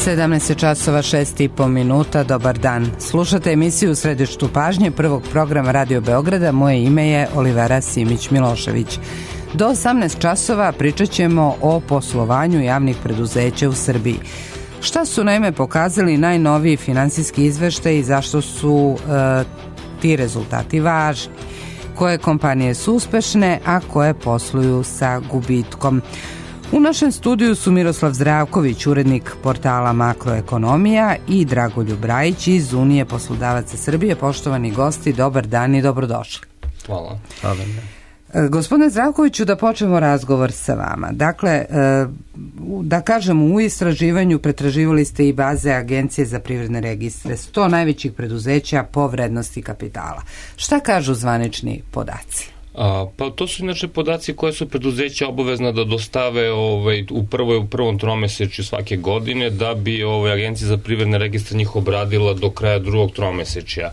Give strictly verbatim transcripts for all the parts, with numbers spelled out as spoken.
sedamnaest časova šest i po minuta, dobar dan. Slušate emisiju U središtu pažnje prvog programa Radio Beograda. Moje ime je Olivera Simić-Milošević. Do osamnaest časova pričat ćemo o poslovanju javnih preduzeća u Srbiji. Šta su naime pokazali najnoviji finansijski izveštaji i zašto su e, ti rezultati važni? Koje kompanije su uspešne, a koje posluju sa gubitkom? U našem studiju su Miroslav Zdravković, urednik portala Makroekonomija, i Dragoljub Rajić iz Unije poslodavaca Srbije. Poštovani gosti, dobar dan i dobrodošli. Hvala. Hvala. Gospodine Zdravkoviću, da počnemo razgovor sa vama. Dakle, da kažemo, u istraživanju pretraživali ste i baze Agencije za privredne registre sto najvećih preduzeća po vrednosti kapitala. Šta kažu zvanični podaci? A, pa to su inače podaci koje su preduzeća obavezna da dostave ovaj, u, prvoj, u prvom tromesečju svake godine, da bi ovaj, Agencija za privredne registre njih obradila do kraja drugog tromesečja.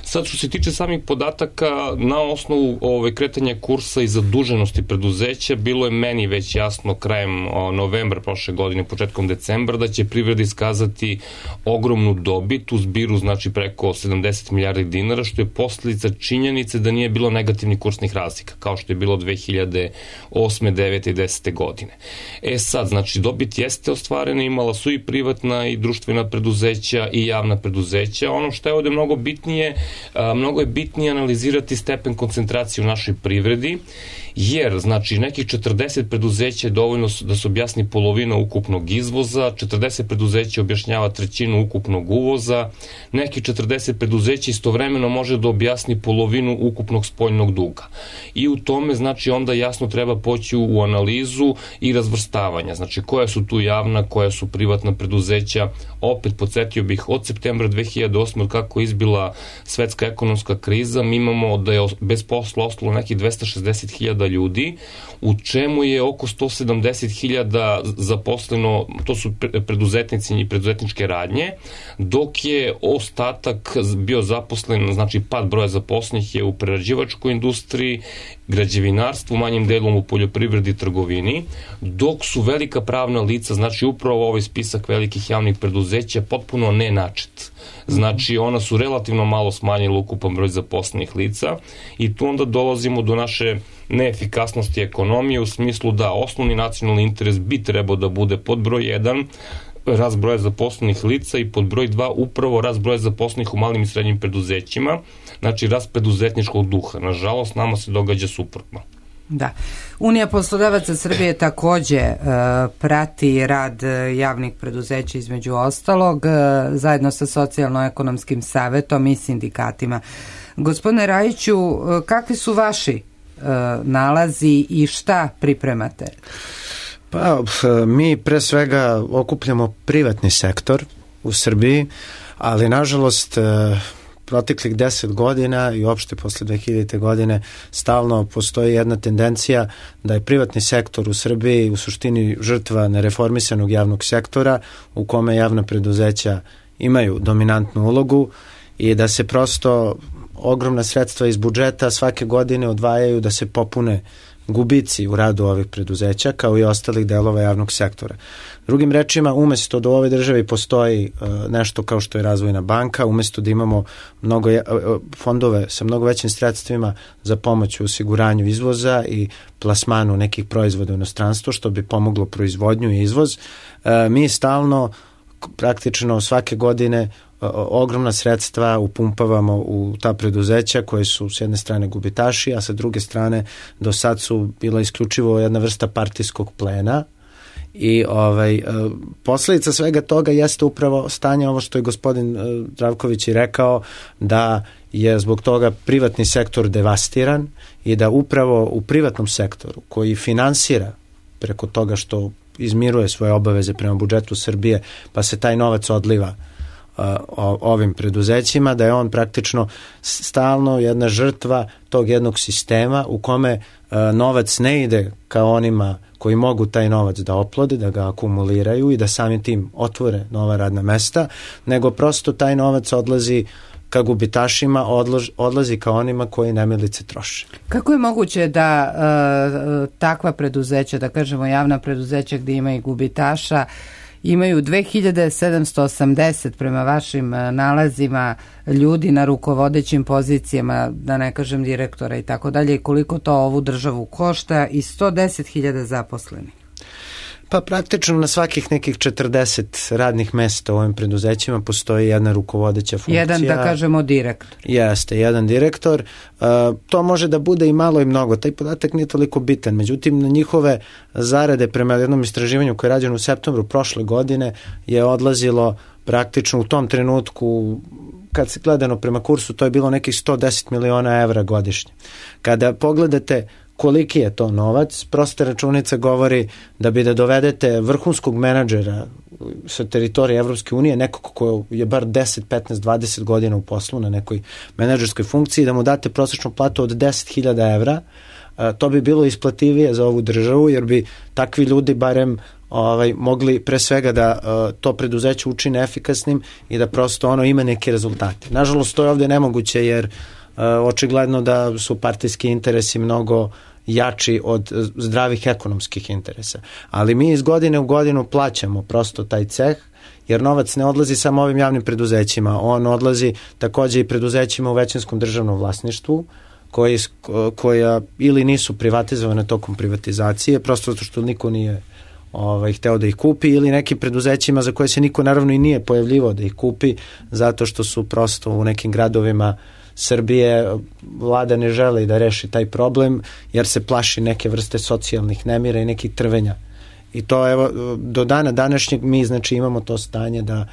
Sad, što se tiče samih podataka, na osnovu ovaj, kretanja kursa i zaduženosti preduzeća, bilo je meni već jasno krajem o, novembra prošle godine, početkom decembra, da će privreda iskazati ogromnu dobit u zbiru, znači preko sedamdeset milijardi dinara, što je posljedica činjenice da nije bilo negativnih kursnih razlika, kao što je bilo dve hiljade osme, devete i desete godine. E sad, znači, dobit jeste ostvarena, imala su i privatna i društvena preduzeća i javna preduzeća. Ono što je ovde mnogo bitnije, a, mnogo je bitnije analizirati stepen koncentracije u našoj privredi, jer, znači, nekih četrdeset preduzeća je dovoljno da se objasni polovina ukupnog izvoza, četrdeset preduzeća objašnjava trećinu ukupnog uvoza, nekih četrdeset preduzeća istovremeno može da objasni polovinu ukupnog spoljnog duga. I u tome, znači, onda jasno treba poći u analizu i razvrstavanja. Znači, koja su tu javna, koja su privatna preduzeća. Opet, podsjetio bih, od septembra dve hiljade osme, od kako je izbila svetska ekonomska kriza, mi imamo da je bez posla ostalo nekih dvesta šezdeset hiljada ljudi, u čemu je oko sto sedamdeset hiljada zaposleno, to su preduzetnici i preduzetničke radnje, dok je ostatak bio zaposlen, znači pad broja zaposlenih je u prerađivačkoj industriji, građevinarstvu, manjim delom u poljoprivredi i trgovini, dok su velika pravna lica, znači upravo ovaj spisak velikih javnih preduzeća, potpuno nenačet. Znači, ona su relativno malo smanjila ukupan broj zaposlenih lica i tu onda dolazimo do naše neefikasnosti ekonomije u smislu da osnovni nacionalni interes bi trebao da bude pod broj jedan, rast broja zaposlenih lica, i pod broj dva upravo rast broja zaposlenih u malim i srednjim preduzećima, znači rast preduzetničkog duha. Nažalost, nama se događa suprotno. Da. Unija poslodavaca Srbije takođe e, prati rad javnih preduzeća, između ostalog, e, zajedno sa Socijalno-ekonomskim savetom i sindikatima. Gospodine Rajiću, kakvi su vaši e, nalazi i šta pripremate? Pa, mi pre svega okupljamo privatni sektor u Srbiji, ali nažalost proteklih deset godina i uopšte posle dve hiljadite godine stalno postoji jedna tendencija da je privatni sektor u Srbiji u suštini žrtva nereformisanog javnog sektora, u kome javna preduzeća imaju dominantnu ulogu i da se prosto ogromna sredstva iz budžeta svake godine odvajaju da se popune gubici u radu ovih preduzeća, kao i ostalih delova javnog sektora. Drugim rečima, umesto da u ovoj državi postoji uh, nešto kao što je Razvojna banka, umesto da imamo mnogo uh, fondove sa mnogo većim sredstvima za pomoć u osiguranju izvoza i plasmanu nekih proizvoda u inostranstvo, što bi pomoglo proizvodnju i izvoz, uh, mi stalno, praktično svake godine, ogromna sredstva upumpavamo u ta preduzeća koje su s jedne strane gubitaši, a sa druge strane do sad su bila isključivo jedna vrsta partijskog plena i ovaj, posljedica svega toga jeste upravo stanje, ovo što je gospodin Zdravković i rekao, da je zbog toga privatni sektor devastiran i da upravo u privatnom sektoru koji finansira preko toga što izmiruje svoje obaveze prema budžetu Srbije, pa se taj novac odliva ovim preduzećima, da je on praktično stalno jedna žrtva tog jednog sistema u kome novac ne ide ka onima koji mogu taj novac da oplode, da ga akumuliraju i da samim tim otvore nova radna mesta, nego prosto taj novac odlazi ka gubitašima, odlož, odlazi ka onima koji nemilice troše. Kako je moguće da uh, takva preduzeća, da kažemo javna preduzeća gdje ima i gubitaša, imaju dve hiljade sedamsto osamdeset prema vašim nalazima ljudi na rukovodećim pozicijama, da ne kažem direktora i tako dalje, i koliko to ovu državu košta, i sto deset hiljada zaposlenih. Pa praktično na svakih nekih četrdeset radnih mesta u ovim preduzećima postoji jedna rukovodeća funkcija. Jedan, da kažemo, direktor. Jeste, jedan direktor. Uh, to može da bude i malo i mnogo. Taj podatak nije toliko bitan. Međutim, na njihove zarade prema jednom istraživanju koje je rađeno u septembru prošle godine je odlazilo praktično u tom trenutku, kad se gledano prema kursu, to je bilo nekih sto deset miliona evra godišnje. Kada pogledate koliki je to novac, prosta računica govori da bi da dovedete vrhunskog menadžera sa teritorije Evropske unije, nekog ko je bar deset, petnaest, dvadeset godina u poslu na nekoj menadžerskoj funkciji, da mu date prosječnu platu od deset hiljada evra, to bi bilo isplativije za ovu državu, jer bi takvi ljudi barem ovaj, mogli pre svega da uh, to preduzeće učine efikasnim i da prosto ono ima neke rezultate. Nažalost, to je ovde nemoguće, jer uh, očigledno da su partijski interesi mnogo jači od zdravih ekonomskih interesa. Ali mi iz godine u godinu plaćamo prosto taj ceh, jer novac ne odlazi samo ovim javnim preduzećima, on odlazi takođe i preduzećima u većinskom državnom vlasništvu, koji, koja ili nisu privatizovane tokom privatizacije, prosto zato što niko nije ovaj, hteo da ih kupi, ili nekim preduzećima za koje se niko naravno i nije pojavljivao da ih kupi, zato što su prosto u nekim gradovima Srbije vlada ne želi da reši taj problem, jer se plaši neke vrste socijalnih nemira i nekih trvenja. I to evo, do dana današnjeg mi znači imamo to stanje da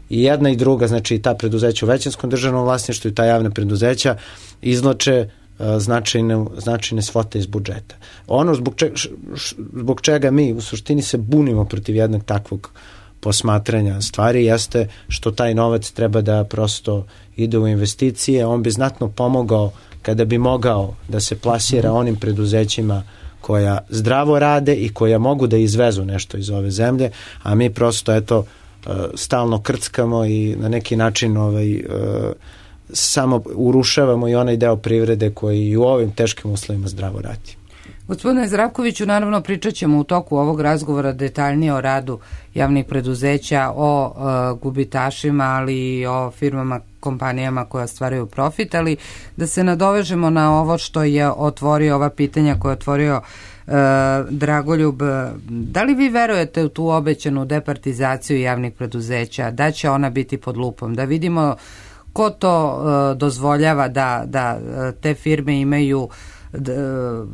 i jedna i druga, znači i ta preduzeća u većinskom državnom vlasništvu i ta javna preduzeća izvlače značajne, značajne svote iz budžeta. Ono zbog čega, zbog čega mi u suštini se bunimo protiv jednog takvog posmatranja stvari jeste što taj novac treba da prosto ide u investicije, on bi znatno pomogao kada bi mogao da se plasira onim preduzećima koja zdravo rade i koja mogu da izvezu nešto iz ove zemlje, a mi prosto eto stalno krckamo i na neki način ovaj, samo urušavamo i onaj deo privrede koji i u ovim teškim uslovima zdravo radi. Gospodine Zdravkoviću, naravno pričat ćemo u toku ovog razgovora detaljnije o radu javnih preduzeća, o uh, gubitašima, ali i o firmama, kompanijama koje ostvaraju profit, ali da se nadovežemo na ovo što je otvorio, ova pitanja koje je otvorio uh, Dragoljub. Da li vi verujete u tu obećanu departizaciju javnih preduzeća, da će ona biti pod lupom, da vidimo ko to uh, dozvoljava da, da uh, te firme imaju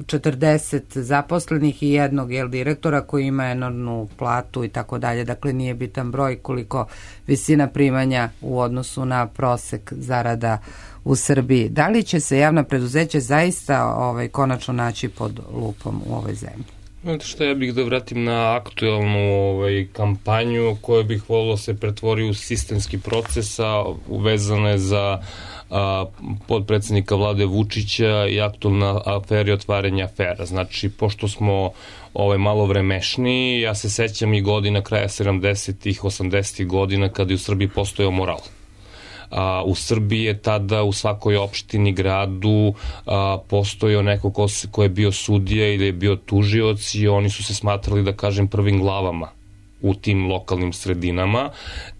četrdeset zaposlenih i jednog jel, direktora koji ima enormnu platu i tako dalje. Dakle, nije bitan broj koliko visina primanja u odnosu na prosek zarada u Srbiji. Da li će se javna preduzeća zaista ovaj, konačno naći pod lupom u ovoj zemlji? Znate što, ja bih da vratim na aktuelnu ovaj, kampanju koju bih volio se pretvori u sistemski proces, a uvezane za a, podpredsednika vlade Vučića i aktualna aferi otvaranja afera. Znači, pošto smo ovaj, malo vremešni, ja se sećam i godina kraja sedamdesetih, osamdesetih godina kada je u Srbiji postojao moral. A, u Srbiji je tada u svakoj opštini, gradu a, postojao neko ko, se, ko je bio sudija ili je bio tužioc i oni su se smatrali, da kažem, prvim glavama u tim lokalnim sredinama,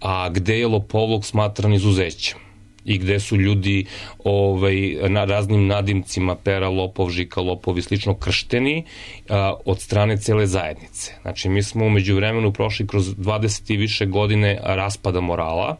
a gde je lopovluk smatran izuzećem i gde su ljudi ovaj, na raznim nadimcima pera, lopov, žika, lopov i slično kršteni a, od strane cele zajednice. Znači, mi smo umeđu vremenu prošli kroz dvadeset i više godine raspada morala.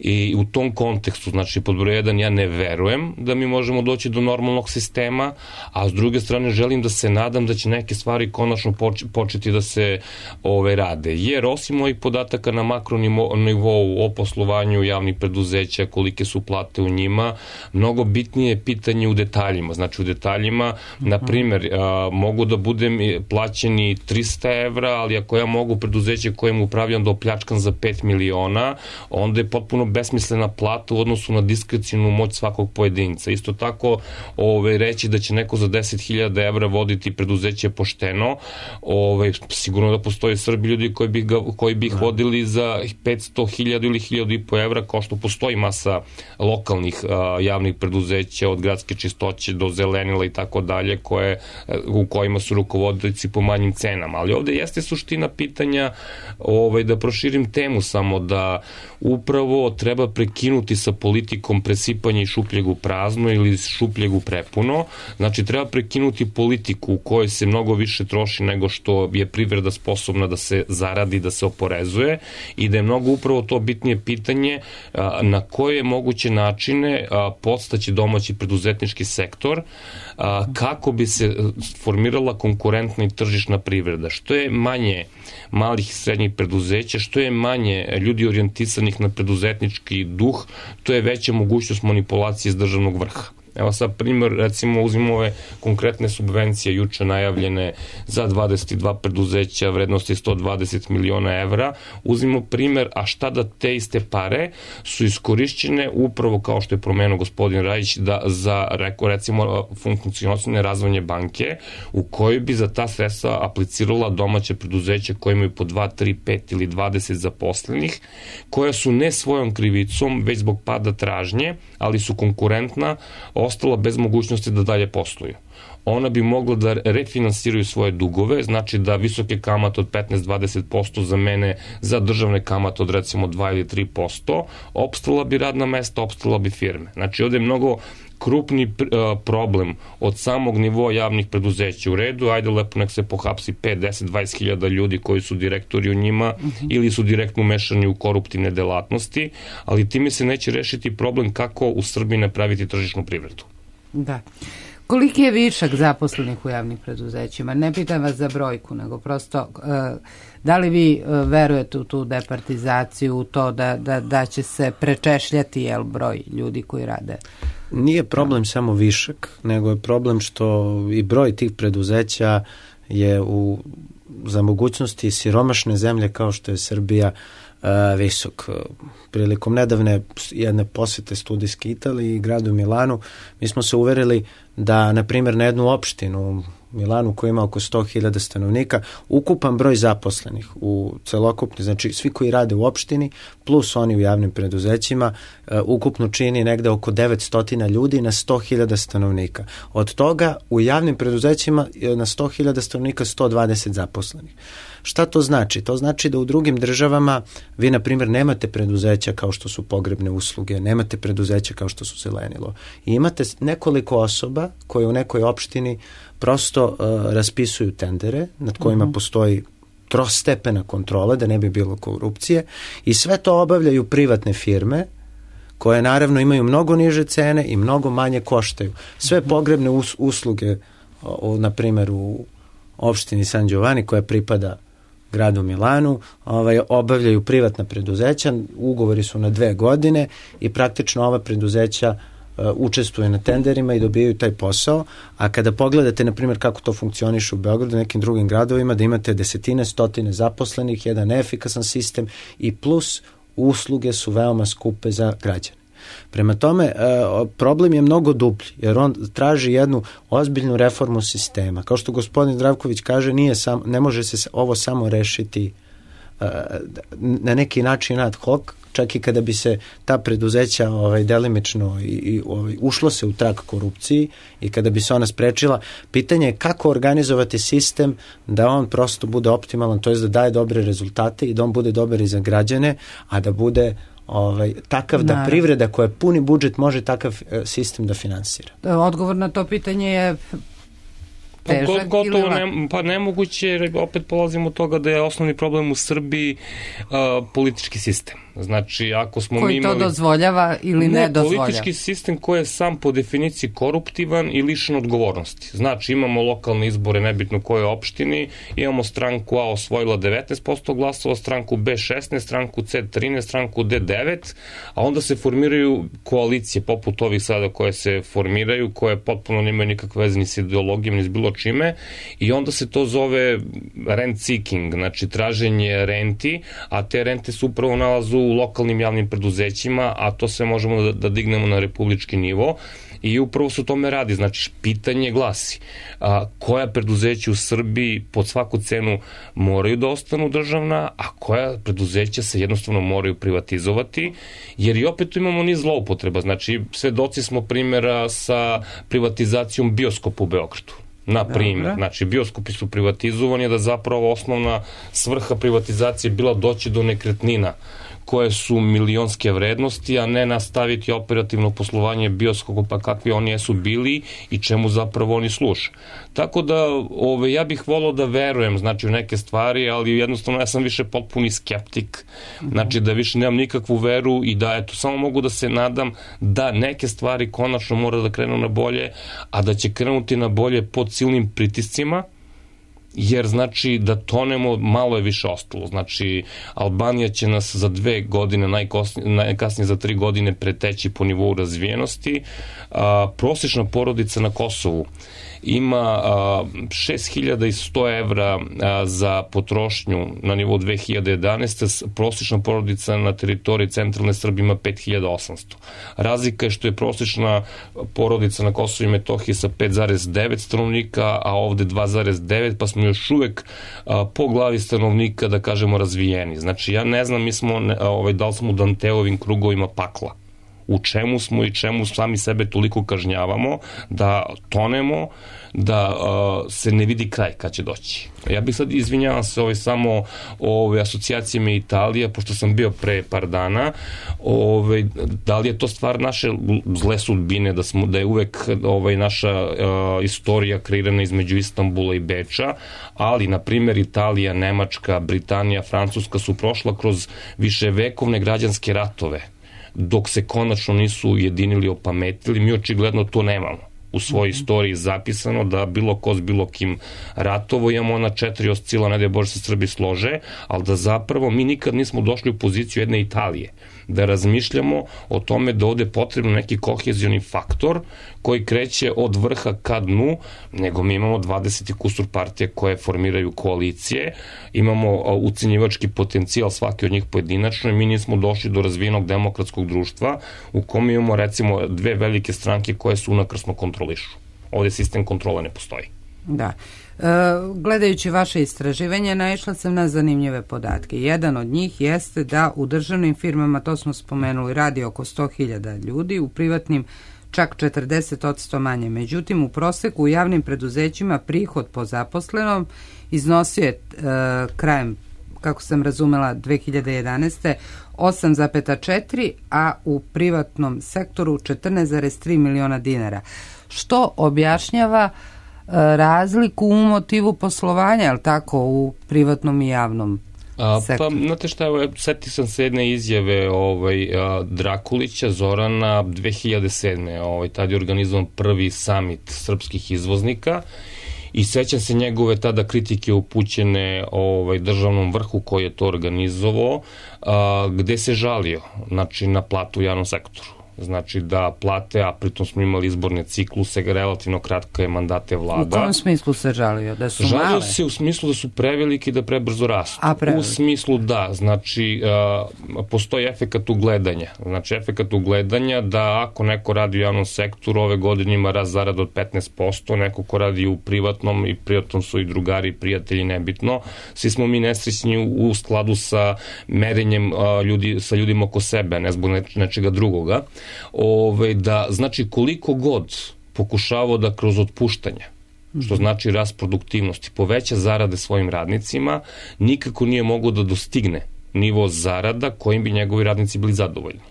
I u tom kontekstu, znači pod broj jedan, ja ne verujem da mi možemo doći do normalnog sistema, a s druge strane želim da se nadam da će neke stvari konačno početi da se ove, rade. Jer osim ovih podataka na makronivou o poslovanju javnih preduzeća, kolike su plate u njima, mnogo bitnije je pitanje u detaljima. Znači u detaljima, na primjer, mogu da budem plaćeni trista evra, ali ako ja mogu preduzeće kojem upravljam da opljačkam za pet miliona, onda je potpuno besmislena plata u odnosu na diskrecijnu moć svakog pojedinca. Isto tako ove, reći da će neko za deset hiljada evra voditi preduzeće pošteno, ove, sigurno da postoje Srbi ljudi koji bi, ga, koji bi ih vodili za petsto hiljada ili hiljadu i po evra, kao što postoji masa lokalnih a, javnih preduzeća, od gradske čistoće do zelenila i tako dalje, koje, u kojima su rukovodioci po manjim cenama. Ali ovde jeste suština pitanja, ovaj, da proširim temu samo, da upravo treba prekinuti sa politikom presipanja i šupljeg u prazno ili šupljeg u prepuno. Znači, treba prekinuti politiku u kojoj se mnogo više troši nego što je privreda sposobna da se zaradi, da se oporezuje, i da je mnogo upravo to bitnije pitanje a, na koje moguće načine a, podstaći domaći preduzetnički sektor, a, kako bi se formirala konkurentna i tržišna privreda. Što je manje malih i srednjih preduzeća, što je manje ljudi orijentisanih na preduzetnički duh, to je veća mogućnost manipulacije iz državnog vrha. Evo sad primjer, recimo uzmimo ove konkretne subvencije juče najavljene za dvadeset dva preduzeća vrednosti sto dvadeset miliona evra. Uzmimo primjer, a šta da te iste pare su iskorišćene upravo, kao što je promenuo gospodin Rajić, da za recimo funkcionalne razvojne banke, u kojoj bi za ta sredstva aplicirala domaće preduzeća koje imaju po dva, tri, pet ili dvadeset zaposlenih, koja su ne svojom krivicom, već zbog pada tražnje, ali su konkurentna, ostala bez mogućnosti da dalje posluju. Ona bi mogla da refinansiraju svoje dugove, znači da visoke kamate od petnaest do dvadeset posto zamene za državne kamate od recimo dva ili tri posto, opstala bi radna mesta, opstala bi firme. Znači ovde je mnogo krupni problem od samog nivoa javnih preduzeća. U redu, ajde lepo nek se pohapsi pet, deset, dvadeset hiljada ljudi koji su direktori u njima uh-huh. ili su direktno umešani u koruptivne delatnosti, ali time se neće rešiti problem kako u Srbiji napraviti tržišnu privredu. Da. Koliki je višak zaposlenih u javnim preduzećima? Ne pitam vas za brojku, nego prosto da li vi verujete u tu departizaciju, u to da, da, da će se prečešljati jel, broj ljudi koji rade? Nije problem samo višak, nego je problem što i broj tih preduzeća je u, za mogućnosti siromašne zemlje kao što je Srbija visok. Prilikom nedavne jedne posete studijske Italiji i gradu Milanu, mi smo se uverili da, na primjer, na jednu opštinu Milanu koja ima oko sto hiljada stanovnika, ukupan broj zaposlenih u celokupni, znači svi koji rade u opštini, plus oni u javnim preduzećima, ukupno čini negde oko devetsto ljudi na sto hiljada stanovnika. Od toga u javnim preduzećima na sto hiljada stanovnika sto dvadeset zaposlenih. Šta to znači? To znači da u drugim državama vi, na primjer, nemate preduzeća kao što su pogrebne usluge, nemate preduzeća kao što su zelenilo. I imate nekoliko osoba koje u nekoj opštini prosto uh, raspisuju tendere nad kojima uh-huh. postoji trostepena kontrola da ne bi bilo korupcije i sve to obavljaju privatne firme koje naravno imaju mnogo niže cene i mnogo manje koštaju. Sve pogrebne us- usluge, o, na primjer u opštini San Giovanni koja pripada gradu Milanu, ovaj, obavljaju privatna preduzeća, ugovori su na dve godine i praktično ova preduzeća uh, učestvuje na tenderima i dobijaju taj posao, a kada pogledate, na primjer, kako to funkcioniše u Beogradu i nekim drugim gradovima, da imate desetine, stotine zaposlenih, jedan neefikasan sistem i plus usluge su veoma skupe za građane. Prema tome, problem je mnogo dublji, jer on traži jednu ozbiljnu reformu sistema. Kao što gospodin Zdravković kaže, nije sam, ne može se ovo samo rešiti na neki način ad hoc, čak i kada bi se ta preduzeća ovaj, delimično i, i ovaj, ušlo se u trag korupciji i kada bi se ona sprečila, pitanje je kako organizovati sistem da on prosto bude optimalan, to je da daje dobre rezultate i da on bude dobar i za građane, a da bude ovaj, takav da Naravno. privreda koja puni budžet može takav sistem da finansira. Odgovor na to pitanje je težak Gotovo ili ne, pa nemoguće, jer opet polazimo od toga da je osnovni problem u Srbiji uh, politički sistem. Znači, ako smo koji mi imali... to dozvoljava ili ne, ne dozvoljava? Politički sistem koji je sam po definiciji koruptivan i lišen odgovornosti. Znači, imamo lokalne izbore, nebitno koje opštini, imamo stranku A osvojila devetnaest posto glasova, stranku B šesnaest, stranku C trinaest, stranku D devet, a onda se formiraju koalicije poput ovih sada koje se formiraju, koje potpuno nemaju nikakve veze ni s ideologijom, ni s bilo čime, i onda se to zove rent seeking, znači traženje renti, a te rente se upravo nalazu u lokalnim javnim preduzećima, a to sve možemo da, da dignemo na republički nivo. I upravo se o tome radi, znači pitanje glasi a, koja preduzeća u Srbiji pod svaku cenu moraju da ostanu državna, a koja preduzeća se jednostavno moraju privatizovati, jer i opet tu imamo niz zloupotreba, znači svedoci smo primjera sa privatizacijom bioskopa u Beogradu. Na primjer, znači bioskopi su privatizovani, da zapravo osnovna svrha privatizacije bila doći do nekretnina koje su milionske vrednosti, a ne nastaviti operativno poslovanje bioskopa kakvi oni jesu bili i čemu zapravo oni služe. Tako da ove, ja bih volao da verujem znači, u neke stvari, ali jednostavno ja sam više potpuni skeptik, znači da više nemam nikakvu veru i da eto, samo mogu da se nadam da neke stvari konačno mora da krenu na bolje, a da će krenuti na bolje pod silnim pritiscima, jer znači da tonemo, malo je više ostalo. Znači, Albanija će nas za dve godine, najkasnije za tri godine preteći po nivou razvijenosti. A, prosječna porodica na Kosovu ima šest hiljada sto evra a, za potrošnju na nivou dve hiljade jedanaeste. Prosječna porodica na teritoriji centralne Srbije ima pet hiljada osamsto. Razlika je što je prosječna porodica na Kosovu i Metohiji sa pet zarez devet stanovnika, a ovde dva zarez devet, pa smo još uvek a, po glavi stanovnika, da kažemo, razvijeni. Znači, ja ne znam, mi smo, ne, ovaj, da li smo u Danteovim krugovima pakla. U čemu smo i čemu sami sebe toliko kažnjavamo, da tonemo, da uh, se ne vidi kraj kad će doći. Ja bih sad, izvinjavam se ovaj, samo ove asocijacijama Italija, pošto sam bio pre par dana, ove, da li je to stvar naše zle sudbine, da, smo, da je uvek ovaj, naša uh, istorija kreirana između Istanbula i Beča, ali, na primjer, Italija, Nemačka, Britanija, Francuska su prošla kroz viševekovne građanske ratove, dok se konačno nisu ujedinili, opametili. Mi očigledno to nemamo u svojoj istoriji zapisano, da bilo ko s bilo kim ratovo, imamo ona četiri oscila, ne da je Bože se Srbi slože, ali da zapravo mi nikad nismo došli u poziciju jedne Italije, da razmišljamo o tome da ovde je potrebno neki kohezioni faktor koji kreće od vrha ka dnu, nego mi imamo dvadeset kusur partije koje formiraju koalicije, imamo ucenjivački potencijal svaki od njih pojedinačno i mi nismo došli do razvijenog demokratskog društva u kome imamo recimo dve velike stranke koje su unakrsno kontrolišu. Ovde sistem kontrole ne postoji. Da. E, gledajući vaše istraživanje, naišla sam na zanimljive podatke. Jedan od njih jeste da u državnim firmama, to smo spomenuli, radi oko sto hiljada ljudi, u privatnim čak četrdeset posto manje. Međutim, u proseku u javnim preduzećima prihod po zaposlenom iznosio je e, krajem, kako sam razumela, dve hiljade jedanaeste. osam zarez četiri, a u privatnom sektoru četrnaest zarez tri miliona dinara. Što objašnjava razliku u motivu poslovanja, je li tako, u privatnom i javnom sektoru? Pa, znate šta, evo, seti sam se jedne izjave ovaj, Drakulića, Zorana, dve hiljade sedme. Ovaj, tad je organizovan prvi summit srpskih izvoznika i sećam se njegove tada kritike upućene ovaj, državnom vrhu koji je to organizovao, a, gde se žalio, znači, na platu u javnom sektoru. Znači da plate, a pritom smo imali izborne cikluse, relativno kratke mandate vlada. U kom smislu se žalio? Da su žalio male? Žalio se u smislu da su preveliki i da prebrzo rastu. A, preveliki. U smislu da, znači uh, postoji efekat ugledanja. Znači efekat ugledanja da ako neko radi u javnom sektoru, ove godine ima rast zarada od petnaest posto, neko ko radi u privatnom, i privatnom su i drugari, prijatelji, nebitno. Svi smo mi nesrećni u, u skladu sa merenjem uh, ljudi, sa ljudima oko sebe, ne zbog neč, nečega drugoga. Ove, da, znači, koliko god pokušavao da kroz otpuštanja, što znači rast produktivnosti, poveća zarade svojim radnicima, nikako nije mogao da dostigne nivo zarada kojim bi njegovi radnici bili zadovoljni.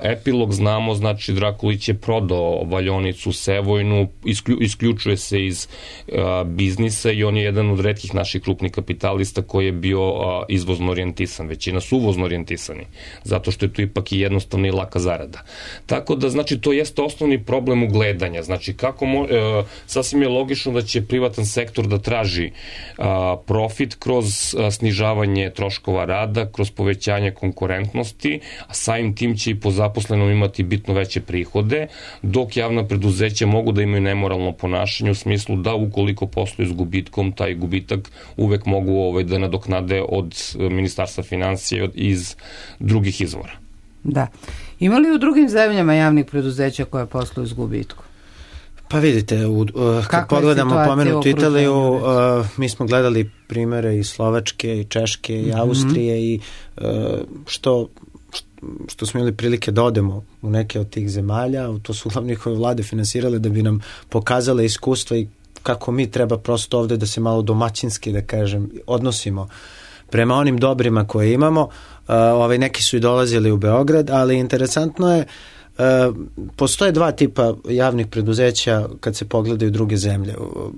Epilog znamo, znači Drakulić je prodao valjaonicu Sevojnu, isklju, isključuje se iz a, biznisa i on je jedan od retkih naših krupnih kapitalista koji je bio a, izvozno orijentisan, većina su uvozno orijentisani, zato što je tu ipak i jednostavna i laka zarada. Tako da, znači, to jeste osnovni problem ugledanja, znači kako mo, a, sasvim je logično da će privatan sektor da traži a, profit kroz a, snižavanje troškova rada, kroz povećanje konkurentnosti, a samim tim će i po zaposlenom imati bitno veće prihode, dok javna preduzeća mogu da imaju nemoralno ponašanje u smislu da ukoliko posluju s gubitkom, taj gubitak uvek mogu ovaj, da nadoknade od Ministarstva finansija iz drugih izvora. Da. Ima li u drugim zemljama javnih preduzeća koje posluju s gubitkom? Pa vidite, u, uh, kad pogledamo pomenutu Italiju, uh, mi smo gledali primere i Slovačke, i Češke, i Austrije, mm-hmm. i uh, što, što smo imali prilike da odemo u neke od tih zemalja, to su uglavnom njihove vlade finansirale da bi nam pokazale iskustva i kako mi treba prosto ovde da se malo domaćinski, da kažem, odnosimo prema onim dobrima koje imamo. Uh, ovaj, neki su i dolazili u Beograd, ali interesantno je, Uh, postoje dva tipa javnih preduzeća kad se pogledaju druge zemlje. U,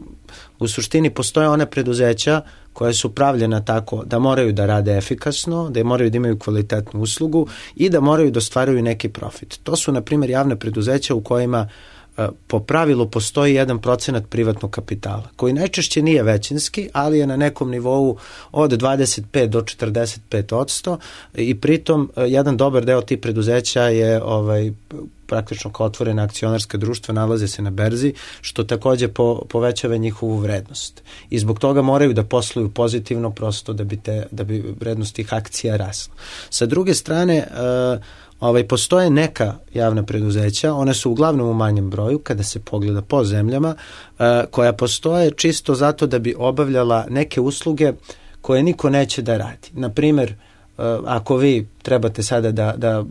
u suštini postoje one preduzeća koje su pravljena tako da moraju da rade efikasno, da moraju da imaju kvalitetnu uslugu i da moraju da ostvaruju neki profit. To su, na primjer, javne preduzeća u kojima uh, po pravilu postoji jedan procenat privatnog kapitala, koji najčešće nije većinski, ali je na nekom nivou od dvadeset pet do četrdeset pet odsto i pritom uh, jedan dobar deo tih preduzeća je ovaj, praktično kao otvorena akcionarska društva, nalaze se na berzi, što takođe po, povećava njihovu vrednost. I zbog toga moraju da posluju pozitivno prosto da bi, te, da bi vrednost tih akcija rasla. Sa druge strane, uh, Ovaj, postoje neka javna preduzeća, one su uglavnom u manjem broju kada se pogleda po zemljama, uh, koja postoje čisto zato da bi obavljala neke usluge koje niko neće da radi. Naprimer, uh, ako vi trebate sada da, da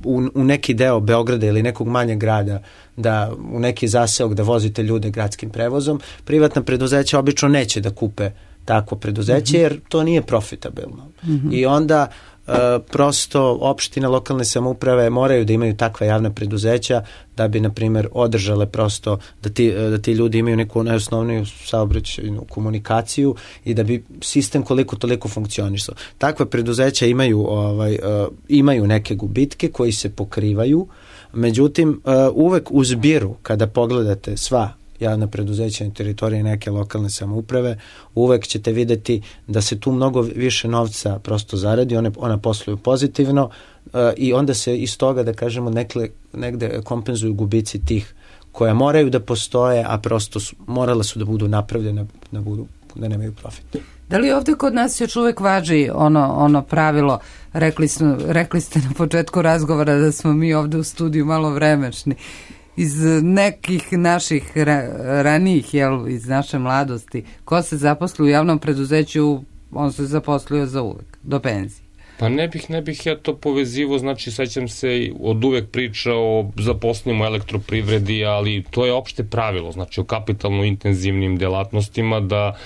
u, u neki deo Beograda ili nekog manjeg grada, da u neki zaseok da vozite ljude gradskim prevozom, privatna preduzeća obično neće da kupe takvo preduzeće, mm-hmm. jer to nije profitabilno. Mm-hmm. I onda Uh, prosto opštine, lokalne samouprave moraju da imaju takva javna preduzeća da bi, na primjer, održale prosto da ti, da ti ljudi imaju neku najosnovniju saobraćajnu komunikaciju i da bi sistem koliko toliko funkcionisao. Takva preduzeća imaju, ovaj, uh, imaju neke gubitke koji se pokrivaju, međutim, uh, uvek u zbiru, kada pogledate sva javna preduzeća na teritoriji neke lokalne samouprave, uvek ćete videti da se tu mnogo više novca prosto zaradi, one, ona posluju pozitivno uh, i onda se iz toga, da kažemo, nekle, negde kompenzuju gubici tih koja moraju da postoje, a prosto su, morale su da budu napravljene, da, budu, da nemaju profit. Da li ovde kod nas još uvek važi ono, ono pravilo, rekli, smo, rekli ste na početku razgovora da smo mi ovde u studiju malo vremešni, iz nekih naših ra, ranijih, jel, iz naše mladosti, ko se zaposli u javnom preduzeću, on se zaposlio za uvek, do penzije. Pa ne bih, ne bih ja to povezivo, znači sećam se od uvek priča o zaposlenim u elektroprivredi, ali to je opšte pravilo, znači o kapitalno intenzivnim delatnostima, da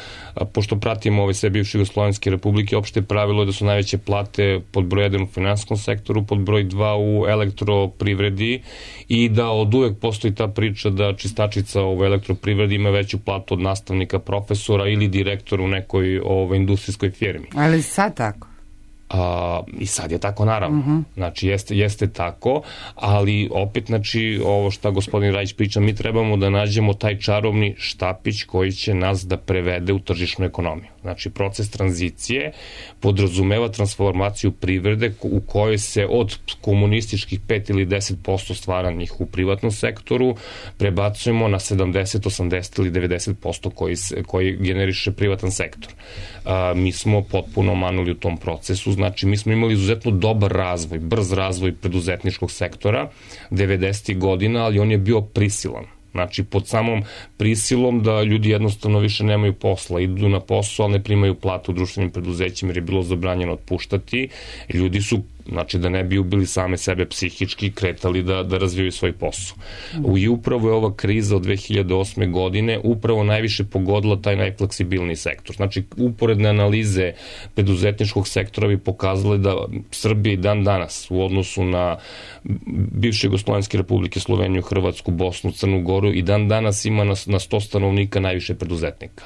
pošto pratimo ove sve bivše Jugoslovenske republike, opšte pravilo je da su najveće plate pod broj jedan u finansijskom sektoru, pod broj dva u elektroprivredi i da od uvek postoji ta priča da čistačica u elektroprivredi ima veću platu od nastavnika, profesora ili direktora u nekoj ove, industrijskoj firmi. Ali sad tako? A, i sad je tako, naravno. Uh-huh. Znači, jeste, jeste tako, ali opet, znači, ovo što gospodin Rajić priča, mi trebamo da nađemo taj čarobni štapić koji će nas da prevede u tržišnu ekonomiju. Znači, proces tranzicije podrazumeva transformaciju privrede u kojoj se od komunističkih pet ili deset posto stvaranih u privatnom sektoru prebacujemo na sedamdeset, osamdeset ili devedeset posto koji, se, koji generiše privatan sektor. A, mi smo potpuno manuli u tom procesu. Znači, mi smo imali izuzetno dobar razvoj, brz razvoj preduzetničkog sektora devedesetih godina, ali on je bio prisilan. Znači, pod samom prisilom da ljudi jednostavno više nemaju posla, idu na posao, ali ne primaju platu u društvenim preduzećima jer je bilo zabranjeno otpuštati. Ljudi su, znači, da ne bi ubili same sebe psihički, kretali da, da razvijaju svoj posao. Mm. I upravo je ova kriza od dve hiljade osme godine upravo najviše pogodila taj najfleksibilniji sektor. Znači, uporedne analize preduzetničkog sektora bi pokazale da Srbija i dan danas u odnosu na bivše Jugoslovenske republike, Sloveniju, Hrvatsku, Bosnu, Crnu Goru i dan danas ima na, na sto stanovnika najviše preduzetnika.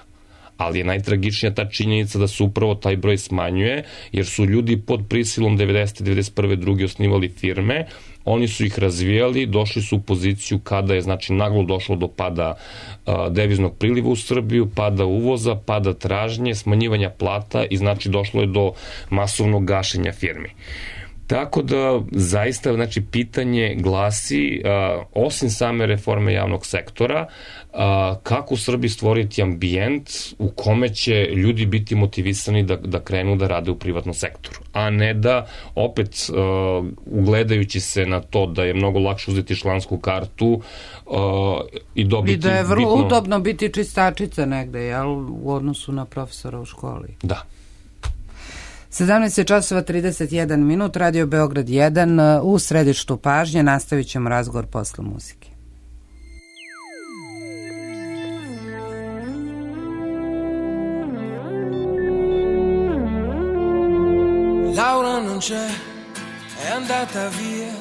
Ali je najtragičnija ta činjenica da se upravo taj broj smanjuje, jer su ljudi pod prisilom devedesete, devedeset prve, druge osnivali firme, oni su ih razvijali, došli su u poziciju kada je, znači, naglo došlo do pada a, deviznog priliva u Srbiju, pada uvoza, pada tražnje, smanjivanja plata i, znači, došlo je do masovnog gašenja firmi. Tako da, zaista, znači, pitanje glasi, a, osim same reforme javnog sektora, a, kako u Srbiji stvoriti ambijent u kome će ljudi biti motivisani da, da krenu da rade u privatnom sektoru, a ne da opet, a, ugledajući se na to da je mnogo lakše uzeti člansku kartu a, i dobiti... I da je vrlo bitno... udobno biti čistačica negde, jel, u odnosu na profesora u školi. Da. sedamnaest časova trideset jedan minut, Radio Beograd jedan, u središtu pažnje. Nastavit ćemo razgovor posle muzike. Laura non c'è, è andata via.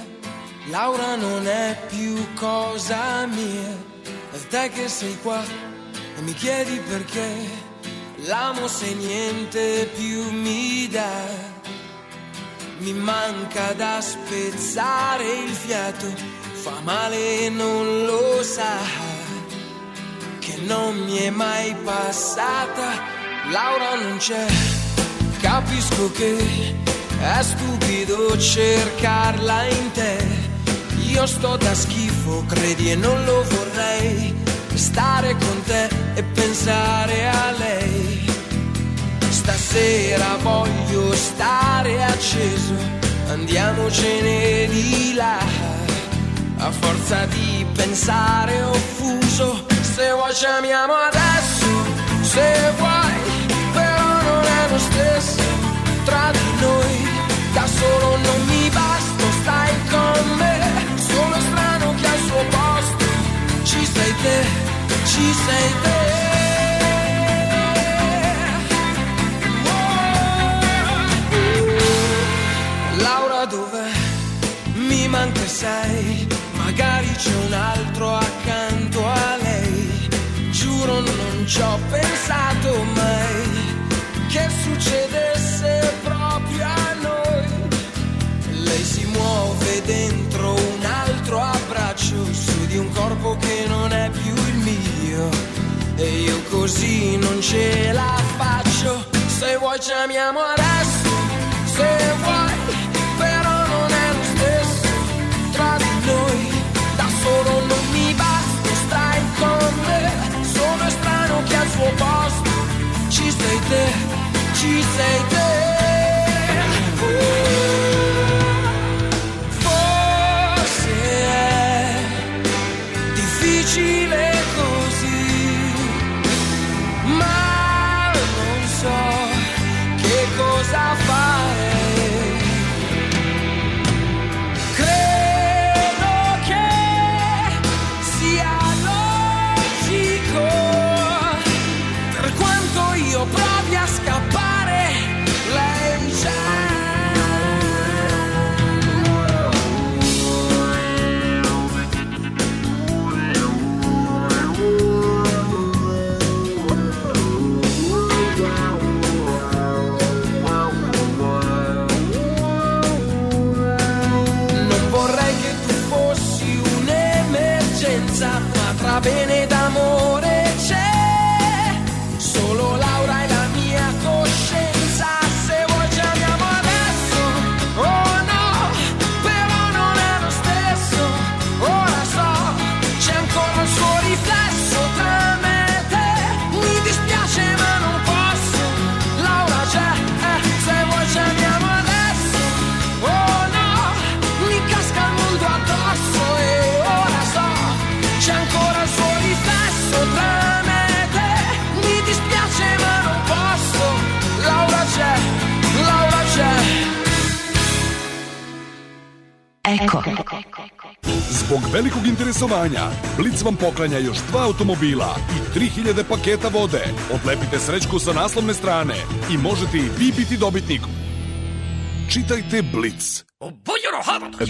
Laura non è più cosa mia. E te che sei qua e mi chiedi perché l'amo se niente più mi dà. Mi manca da spezzare il fiato, fa male e non lo sa, che non mi è mai passata. Laura non c'è, capisco che è stupido cercarla in te. Io sto da schifo, credi, e non lo vorrei, stare con te e pensare a lei. Stasera voglio stare acceso, andiamocene di là. A forza di pensare offuso, se vuoi ci amiamo adesso, se vuoi, però non è lo stesso tra di noi. Da solo non mi basta, stai con me, sono strano che al suo posto ci sei te, ci sei te. Laura dov'è? Mi manca sei, magari c'è un altro accanto a lei. Giuro non ci ho pensato mai che succedesse proprio a noi. Lei si muove dentro un altro abbraccio, su di un corpo che non è più il mio, e io così non ce la faccio. Se vuoi ci amiamo adesso, se vuoi, però non è lo stesso tra di noi. Da solo non mi basta, stai con me, sono strano che al suo posto ci sei te, ci sei te. Forse è difficile così, ma non so che cosa fare. Credo che sia logico, per quanto io provi a scappare, lei c'è. Non vorrei che tu fossi un'emergenza, ma tra bene ed amore c'è solo Laura e la mia coscienza. Se vuoi ci amiamo adesso, oh no, però non è lo stesso. Ora so, c'è ancora il suo riflesso tra me e te. Mi dispiace ma non posso, Laura c'è, eh, se vuoi ci amiamo adesso, oh no, mi casca il mondo addosso. E ora so, c'è ancora il suo riflesso tra me e te. Mi dispiace ma non posso, Laura c'è, Laura c'è. Eko. Zbog velikog interesovanja, Blic vam poklanja još dva automobila i tri hiljade paketa vode. Odlepite srećku sa naslovne strane i možete i vi biti dobitnik. Čitajte Blic.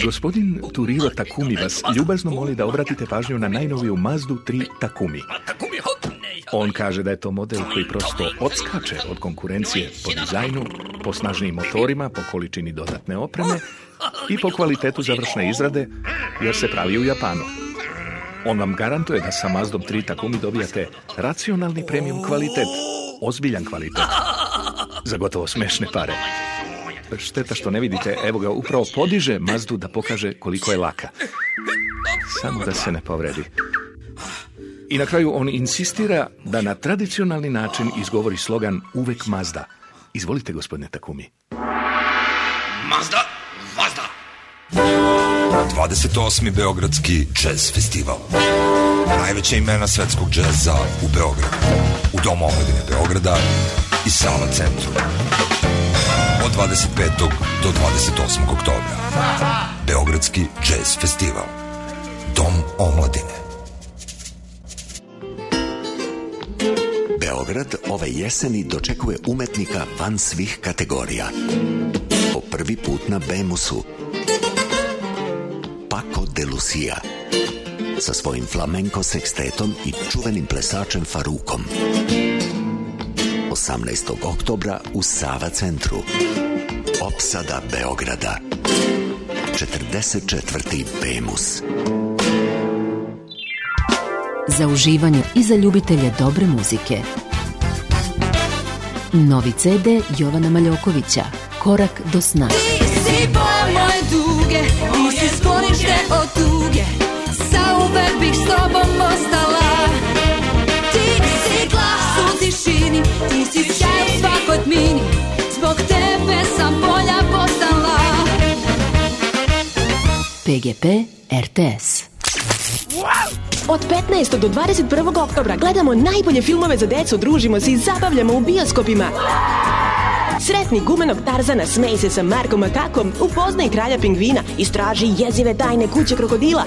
Gospodin Turiro Takumi vas ljubazno moli da obratite pažnju na najnoviju Mazdu tri Takumi. On kaže da je to model koji prosto odskače od konkurencije po dizajnu, po snažnijim motorima, po količini dodatne opreme i po kvalitetu završne izrade, jer se pravi u Japanu. On vam garantuje da sa Mazdom tri Takumi dobijate racionalni premium kvalitet, ozbiljan kvalitet, za gotovo smešne pare. šteta što ne vidite, evo ga, upravo podiže Mazdu da pokaže koliko je laka. Samo da se ne povredi. I na kraju on insistira da na tradicionalni način izgovori slogan uvek Mazda. Izvolite, gospodine Takumi. Mazda, Mazda! dvadeset osmi Beogradski jazz festival. Najveća imena svetskog džeza u Beogradu. U Domu omladine Beograda i Sava centru. Od dvadeset petog do dvadeset osmog oktobra. Beogradski jazz festival. Dom omladine. Beograd ove jeseni dočekuje umetnika van svih kategorija. Po prvi put na Bemusu. Paco de Lucia. Sa svojim flamenko sekstetom i čuvenim plesačem Farukom. osamnaestog oktobra u Sava centru. Opsada Beograda. četrdeset četvrti Bemus. Za uživanje i za ljubitelje dobre muzike. Novi ce de Jovana Maljokovića, Korak do sna. Ti si boj moje duge, ti si sklonište od tuge, zauvek bih s tobom ostala. Ti si glas u tišini, ti si sjaj u svakoj tmini, zbog tebe sam bolja postala. pe ge pe er te es. Od petnaestog do dvadeset prvog oktobra gledamo najbolje filmove za decu, družimo se i zabavljamo u bioskopima. Sretni gumenog Tarzana, smej se sa Markom Makakom, upoznaj kralja pingvina, istraži jezive tajne kuće krokodila.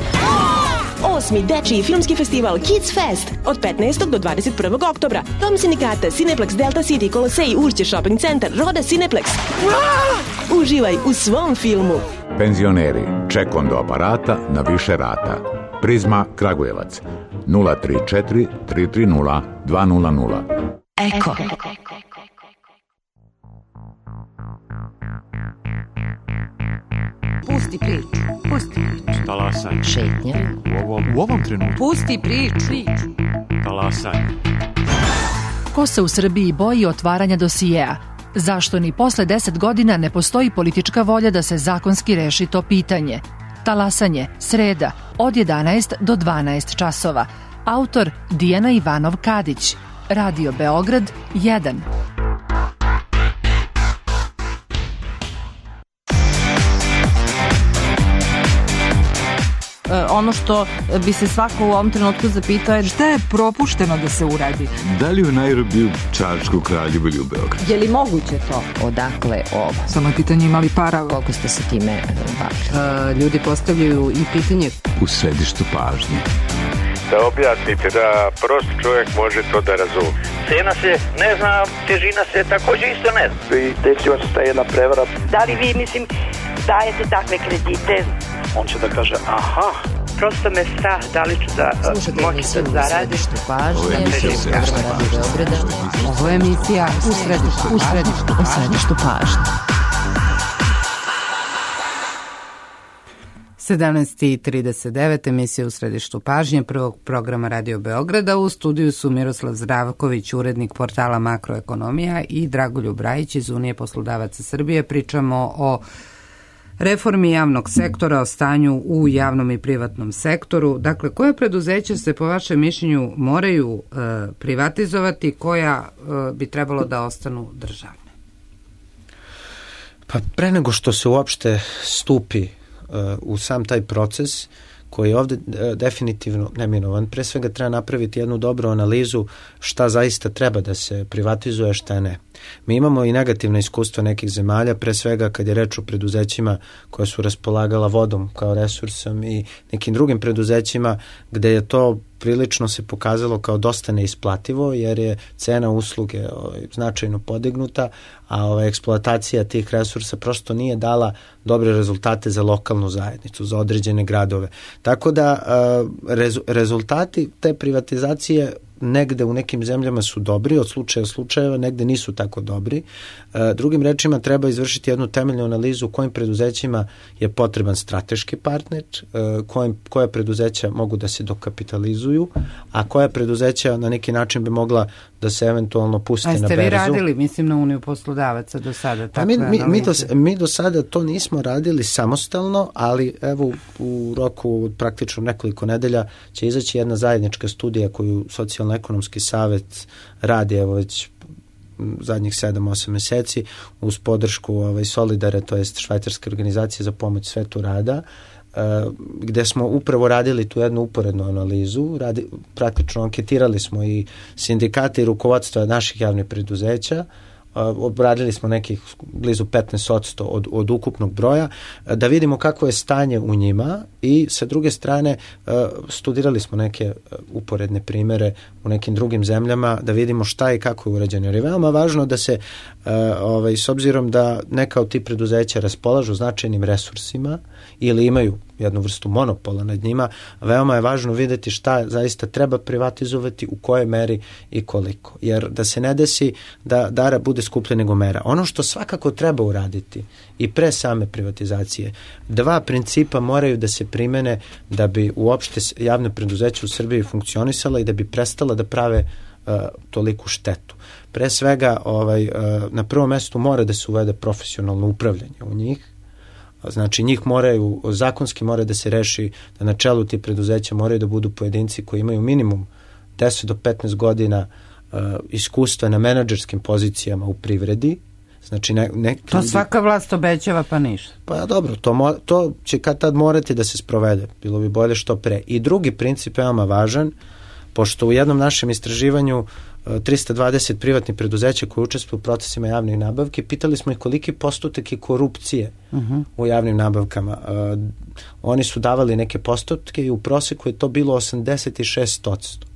Osmi dečiji filmski festival Kids Fest od petnaestog do dvadeset prvog oktobra. Dom sindikata, Cineplex, Delta City, Kolosej, Urće Shopping Center, Roda Cineplex. Uživaj u svom filmu. Penzioneri, ček on do aparata na više rata. Prizma Kragujevac nula tri četiri tri tri nula dva nula nula. Eko. Pusti priču, pusti priču. Talasanje. Šetnja. U ovom, u ovom trenutku. Pusti priču. Talasanje. Ko se u Srbiji boji otvaranja dosijeja? Zašto ni posle deset godina ne postoji politička volja da se zakonski reši to pitanje? Talasanje, sreda, od jedanaest do dvanaest časova. Autor Dijana Ivanov Kadić. Radio Beograd jedan. Ono što bi se svako u ovom trenutku zapitao je šta je propušteno da se uradi. Da li u Nairobiju, Čačku, Kraljevu ili u Beogradu? Je li moguće to? Odakle ovo? Samo je pitanje imali para. Koliko ste se time bavili? Ljudi postavljaju i pitanje u središtu pažnje. Da objasnite da prost čovjek može to da razumije. Cena se ne zna, težina se također isto ne zna. I desila se ta jedna prevara. Da li vi, mislim, dajete takve kredite? On će da kaže, aha. Prosto me strah, da li ću da moći da zaradim. Ovo je emisija u središtu pažnje. Ovo je emisija u središtu u središtu, u središtu pažnje. sedamnaest i trideset devet, emisija u središtu pažnje prvog programa Radio Beograda. U studiju su Miroslav Zdravković, urednik portala Makroekonomija, i Dragoljub Brajić iz Unije poslodavaca Srbije. Pričamo o reformi javnog sektora, o stanju u javnom i privatnom sektoru. Dakle, koja preduzeća se po vašem mišljenju moraju e, privatizovati, koja e, bi trebalo da ostanu državne? Pa pre nego što se uopšte stupi u sam taj proces koji je ovde definitivno neminovan, pre svega treba napraviti jednu dobru analizu šta zaista treba da se privatizuje, šta ne. Mi imamo i negativna iskustva nekih zemalja, pre svega kad je reč o preduzećima koja su raspolagala vodom kao resursom i nekim drugim preduzećima gde je to prilično se pokazalo kao dosta neisplativo jer je cena usluge ovaj, značajno podignuta, a ovaj, eksploatacija tih resursa prosto nije dala dobre rezultate za lokalnu zajednicu, za određene gradove. Tako da rez, rezultati te privatizacije negde u nekim zemljama su dobri, od slučaja u slučajeva, negde nisu tako dobri. Drugim rečima treba izvršiti jednu temeljnu analizu u kojim preduzećima je potreban strateški partner, kojim, koja preduzeća mogu da se dokapitalizuju, a koja preduzeća na neki način bi mogla da se eventualno puste na berzu. A ste vi radili, mislim, na Uniju poslodavaca do sada? Pa mi, mi, mi, do, mi do sada to nismo radili samostalno, ali evo u roku praktično nekoliko nedelja će izaći jedna zajednička studija koju Socijalno-ekonomski savet radi evo već zadnjih sedam osam meseci uz podršku ovaj, Solidare, to jest švajcarske organizacije za pomoć svetu rada, gde smo upravo radili tu jednu uporednu analizu, radi, praktično anketirali smo i sindikate i rukovodstva naših javnih preduzeća, obradili smo nekih blizu petnaest posto od, od ukupnog broja, da vidimo kako je stanje u njima i sa druge strane studirali smo neke uporedne primere u nekim drugim zemljama da vidimo šta i kako je urađeno. Jer je veoma važno da se, ovaj, s obzirom da neka od tih preduzeća raspolažu značajnim resursima ili imaju jednu vrstu monopola nad njima, veoma je važno videti šta zaista treba privatizovati, u kojoj meri i koliko. Jer da se ne desi da dara bude skuplja nego mera. Ono što svakako treba uraditi i pre same privatizacije, dva principa moraju da se primene da bi uopšte javne preduzeća u Srbiji funkcionisala i da bi prestala da prave uh, toliku štetu. Pre svega, ovaj, uh, na prvom mestu mora da se uvede profesionalno upravljanje u njih. Znači njih moraju, zakonski mora da se reši da na čelu tih preduzeća moraju da budu pojedinci koji imaju minimum deset do petnaest godina uh, iskustva na menadžerskim pozicijama u privredi. Znači ne, ne, to svaka vlast obećava pa ništa. Pa dobro, to, mo, to će kad tad morati da se sprovede. Bilo bi bolje što pre. I drugi princip je veoma važan, pošto u jednom našem istraživanju trista dvadeset privatnih preduzeća koji učestvuju u procesima javnih nabavki, pitali smo ih koliki postotak je korupcije uh-huh. u javnim nabavkama. Uh, oni su davali neke postotke i u proseku je to bilo osamdeset šest posto.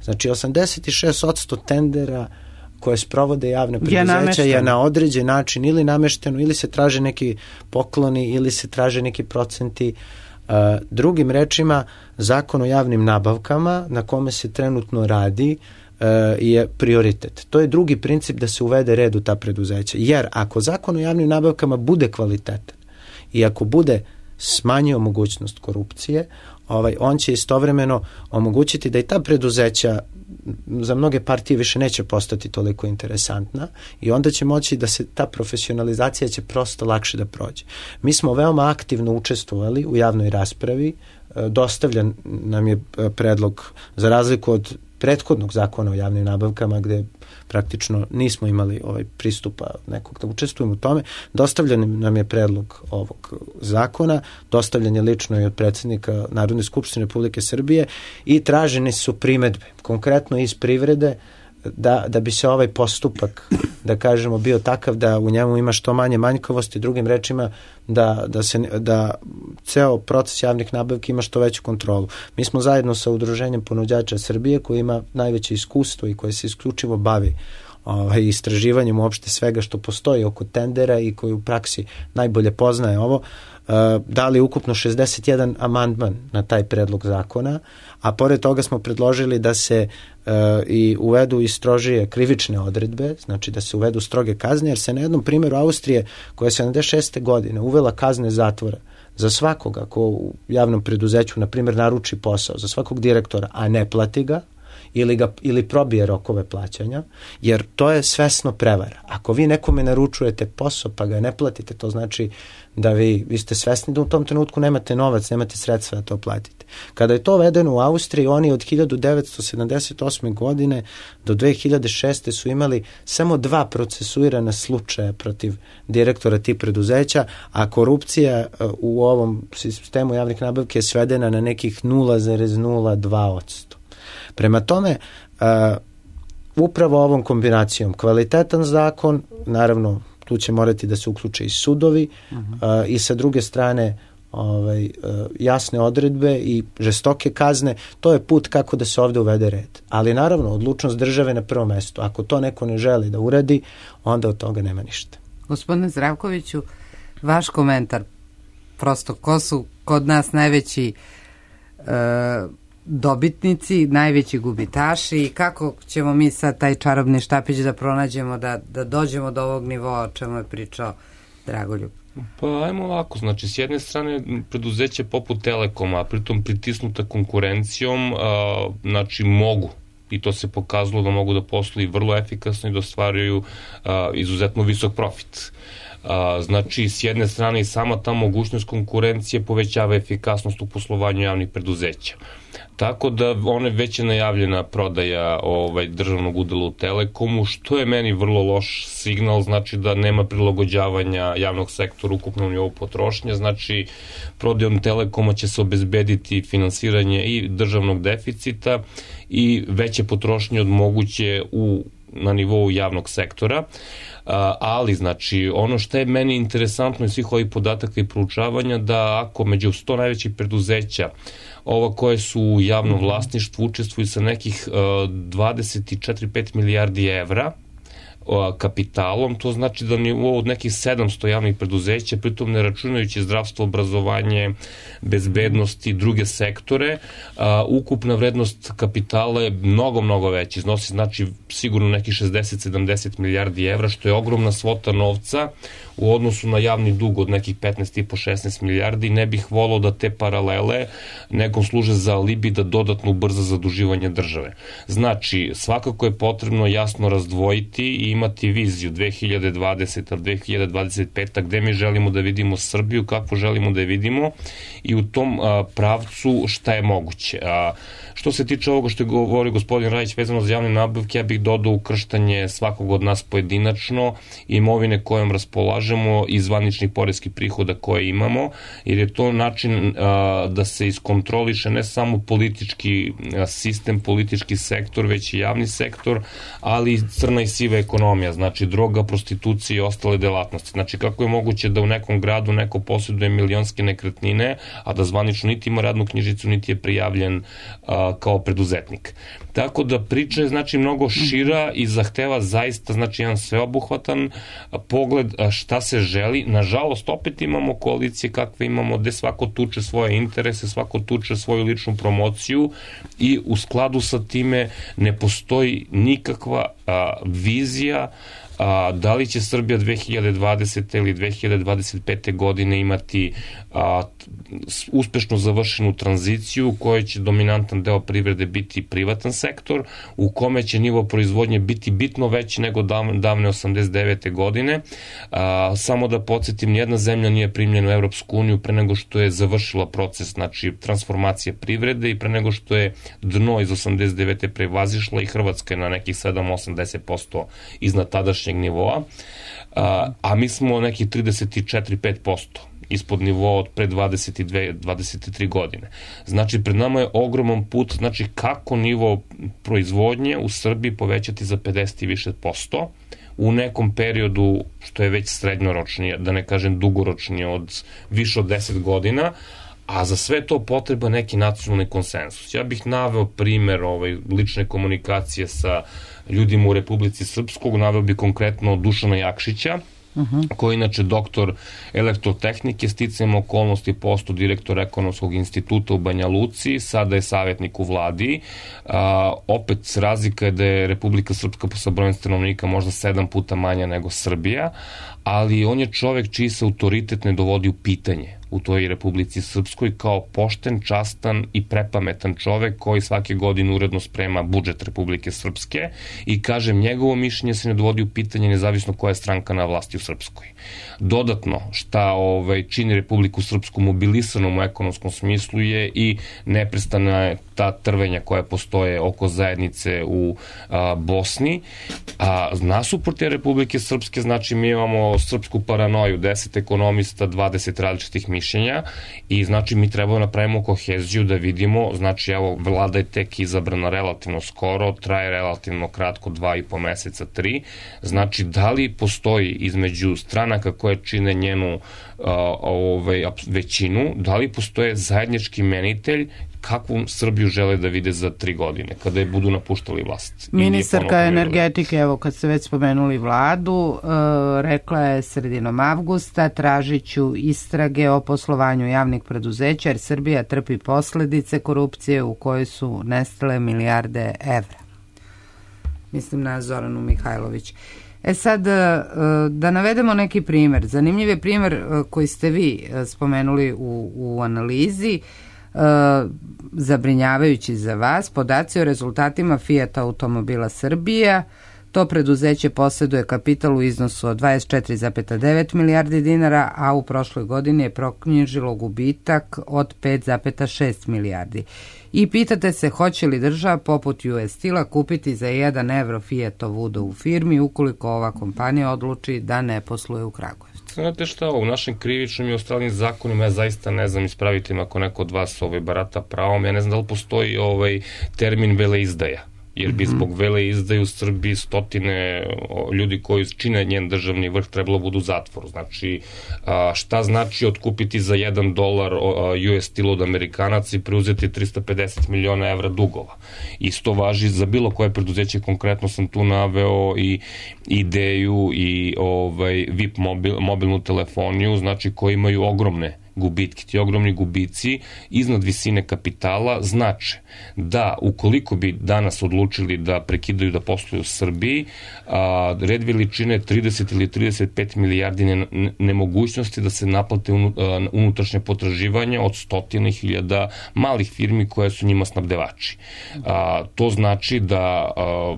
Znači osamdeset šest posto tendera koje sprovode javne preduzeća je, je na određen način ili namešteno, ili se traže neki pokloni, ili se traže neki procenti. Uh, drugim rečima, zakon o javnim nabavkama na kome se trenutno radi je prioritet. To je drugi princip da se uvede red u ta preduzeća. Jer ako zakon o javnim nabavkama bude kvalitetan i ako bude smanjio mogućnost korupcije, ovaj, on će istovremeno omogućiti da i ta preduzeća za mnoge partije više neće postati toliko interesantna i onda će moći da se ta profesionalizacija će prosto lakše da prođe. Mi smo veoma aktivno učestvovali u javnoj raspravi, dostavljen nam je predlog za razliku od prethodnog zakona o javnim nabavkama gde praktično nismo imali ovaj pristupa nekog da učestvujemo u tome. Dostavljen nam je predlog ovog zakona, dostavljen je lično i od predsjednika Narodne skupštine Republike Srbije i tražene su primedbe, konkretno iz privrede, da, da bi se ovaj postupak, da kažemo, bio takav da u njemu ima što manje manjkavosti, drugim rečima da, da, se, da ceo proces javnih nabavki ima što veću kontrolu. Mi smo zajedno sa Udruženjem ponuđača Srbije koji ima najveće iskustvo i koje se isključivo bavi ovaj, istraživanjem uopšte svega što postoji oko tendera i koji u praksi najbolje poznaje ovo, Uh, dali ukupno šezdeset jedan amandman na taj predlog zakona, a pored toga smo predložili da se uh, i uvedu i strožije krivične odredbe, znači da se uvedu stroge kazne, jer se na jednom primjeru Austrije, koja je sedamdeset šeste godine uvela kazne zatvora za svakoga ko u javnom preduzeću, na primjer, naruči posao, za svakog direktora, a ne plati ga, ili, ga, ili probije rokove plaćanja, jer to je svesno prevara. Ako vi nekome naručujete posao pa ga ne platite, to znači da vi, vi ste svesni da u tom trenutku nemate novac, nemate sredstva da to platite. Kada je to vedeno u Austriji, oni od hiljadu devetsto sedamdeset osme godine do dve hiljade šeste su imali samo dva procesuirana slučaja protiv direktora tih preduzeća, a korupcija u ovom sistemu javnih nabavki je svedena na nekih nula zarez nula dva posto. Prema tome, uh, upravo ovom kombinacijom kvalitetan zakon, naravno tu će morati da se uključe i sudovi uh-huh. uh, i sa druge strane ovaj, uh, jasne odredbe i žestoke kazne, to je put kako da se ovde uvede red. Ali naravno, odlučnost države na prvom mestu. Ako to neko ne želi da uradi, onda od toga nema ništa. Gospodine Zdravkoviću, vaš komentar, prosto ko su kod nas najveći uh, dobitnici, najveći gubitaši i kako ćemo mi sad taj čarobni štapić da pronađemo da, da dođemo do ovog nivoa o čemu je pričao Dragoljub? Pa ajmo ovako, znači s jedne strane preduzeće poput Telekoma, pritom pritisnuta konkurencijom, a, znači mogu i to se pokazalo da mogu da posluju vrlo efikasno i da ostvaruju a, izuzetno visok profit. A, znači, s jedne strane i sama ta mogućnost konkurencije povećava efikasnost u poslovanju javnih preduzeća. Tako da one već je najavljena prodaja ovaj, državnog udela u Telekomu, što je meni vrlo loš signal, znači da nema prilagođavanja javnog sektora ukupnom nivou potrošnje, znači prodajom Telekoma će se obezbediti finansiranje i državnog deficita i veće potrošnje od moguće u, na nivou javnog sektora. Ali, znači, ono što je meni interesantno iz svih ovih podataka i proučavanja, da ako među sto najvećih preduzeća ova koje su u javnom vlasništvu učestvuju sa nekih dvadeset četiri do pet milijardi evra kapitalom, to znači da nivo od nekih sedamsto javnih preduzeća, pritom ne računajući zdravstvo, obrazovanje, bezbednost i druge sektore, a, ukupna vrednost kapitala je mnogo, mnogo veća, iznosi znači sigurno nekih šezdeset do sedamdeset milijardi evra, što je ogromna svota novca u odnosu na javni dug od nekih petnaest i po do šesnaest milijardi. Ne bih volao da te paralele nekom služe za alibi da dodatno ubrza zaduživanje države. Znači, svakako je potrebno jasno razdvojiti i imati viziju dve hiljade dvadesete do dve hiljade dvadeset pete gde mi želimo da vidimo Srbiju, kako želimo da je vidimo i u tom a, pravcu šta je moguće. A, što se tiče ovoga što je govorio gospodin Rajić vezano za javne nabavke, ja bih dodao ukrštanje svakog od nas pojedinačno, imovine kojom raspolažemo i zvaničnih poreskih prihoda koje imamo, jer je to način a, da se iskontroliše ne samo politički a, sistem, politički sektor, već i javni sektor, ali i crna i siva ekonomija, znači droga, prostitucija i ostale delatnosti. Znači, kako je moguće da u nekom gradu neko posjeduje milionske nekretnine, a da zvanično niti ima radnu knjižicu, niti je prijavljen a, kao preduzetnik. Tako da priča je znači mnogo šira i zahteva zaista znači jedan sveobuhvatan pogled šta se želi. Nažalost, opet imamo koalicije kakve imamo, gde svako tuče svoje interese, svako tuče svoju ličnu promociju i u skladu sa time ne postoji nikakva a, vizija a, da li će Srbija dve hiljade dvadesete ili dve hiljade dvadeset pete godine imati a, uspešno završenu tranziciju u kojoj će dominantan deo privrede biti privatan sektor, u kome će nivo proizvodnje biti bitno veći nego davne osamdeset devete godine. A, samo da podsjetim, nijedna zemlja nije primljena u Evropsku uniju pre nego što je završila proces znači transformacije privrede i pre nego što je dno iz osamdeset devete prevazišla i Hrvatska je na nekih sedam do osamdeset posto iznad tadašnjeg nivoa, a, a mi smo nekih trideset četiri do pet posto ispod nivoa od pre dvadeset dve do dvadeset tri godine. Znači, pred nama je ogroman put, znači kako nivo proizvodnje u Srbiji povećati za pedeset i više posto u nekom periodu što je već srednjoročnije, da ne kažem dugoročnije, od više od deset godina, a za sve to potreba neki nacionalni konsensus. Ja bih naveo primer ovaj, lične komunikacije sa ljudima u Republici Srpskog, naveo bih konkretno Dušana Jakšića, Uh-huh. koji je inače doktor elektrotehnike, sticajem okolnosti postao direktor Ekonomskog instituta u Banja Luci, sada je savjetnik u vladi. A, opet razlika je da je Republika Srpska sa brojem stanovnika možda sedam puta manja nego Srbija, ali on je čovek čiji se autoritet ne dovodi u pitanje u toj Republici Srpskoj kao pošten, častan i prepametan čovek koji svake godine uredno sprema budžet Republike Srpske i kažem, njegovo mišljenje se ne dovodi u pitanje nezavisno koja je stranka na vlasti u Srpskoj. Dodatno, šta ovaj, čini Republiku Srpsku mobilisanom u ekonomskom smislu je i neprestana ta trvenja koja postoje oko zajednice u a, Bosni. A nasuprot te Republike Srpske, znači mi imamo srpsku paranoju, deset ekonomista, dvadeset različitih mišljenja i znači mi trebamo napravimo koheziju da vidimo, znači evo vlada je tek izabrana relativno skoro, traje relativno kratko, dva i po meseca, tri, znači da li postoji između stranaka koje čine njenu a, ovaj, većinu, da li postoje zajednički menitelj kakvu Srbiju žele da vide za tri godine, kada je budu napuštali vlast. Ministarka energetike, evo kad ste već spomenuli vladu, e, rekla je sredinom avgusta, tražit ću istrage o poslovanju javnih preduzeća, jer Srbija trpi posledice korupcije u kojoj su nestale milijarde evra. Mislim na Zoranu Mihajlović. E sad, da navedemo neki primer. Zanimljiv je primer koji ste vi spomenuli u, u analizi. zabrinjavajući za vas. Podaci o rezultatima Fiat automobila Srbija. To preduzeće posjeduje kapital u iznosu od dvadeset četiri zarez devet milijardi dinara, a u prošloj godini je proknjižilo gubitak od pet zarez šest milijardi. I pitate se hoće li država poput U S Steel-a kupiti za jedan evro Fiatovu u firmi ukoliko ova kompanija odluči da ne posluje u Kragujevcu. Znate šta, u našim krivičnim i ostalim zakonima, ja zaista ne znam, ispravite me ako neko od vas ovaj, barata pravom, ja ne znam da li postoji ovaj termin veleizdaja. Jer bi zbog vele izdaju u Srbiji stotine ljudi koji čine njen državni vrh trebalo budu u zatvoru. Znači, šta znači otkupiti za jedan dolar U S Steel od Amerikanaca i preuzeti tristo pedeset miliona evra dugova. Isto važi za bilo koje preduzeće, konkretno sam tu naveo i Ideju i ovaj, V I P mobil, mobilnu telefoniju, znači koji imaju ogromne gubitki. Ti ogromni gubici iznad visine kapitala znače da ukoliko bi danas odlučili da prekidaju da posluju u Srbiji, a, red veličine trideset ili trideset pet milijardi ne, nemogućnosti da se naplate unutrašnje potraživanja od stotine hiljada malih firmi koje su njima snabdevači. A, to znači da a,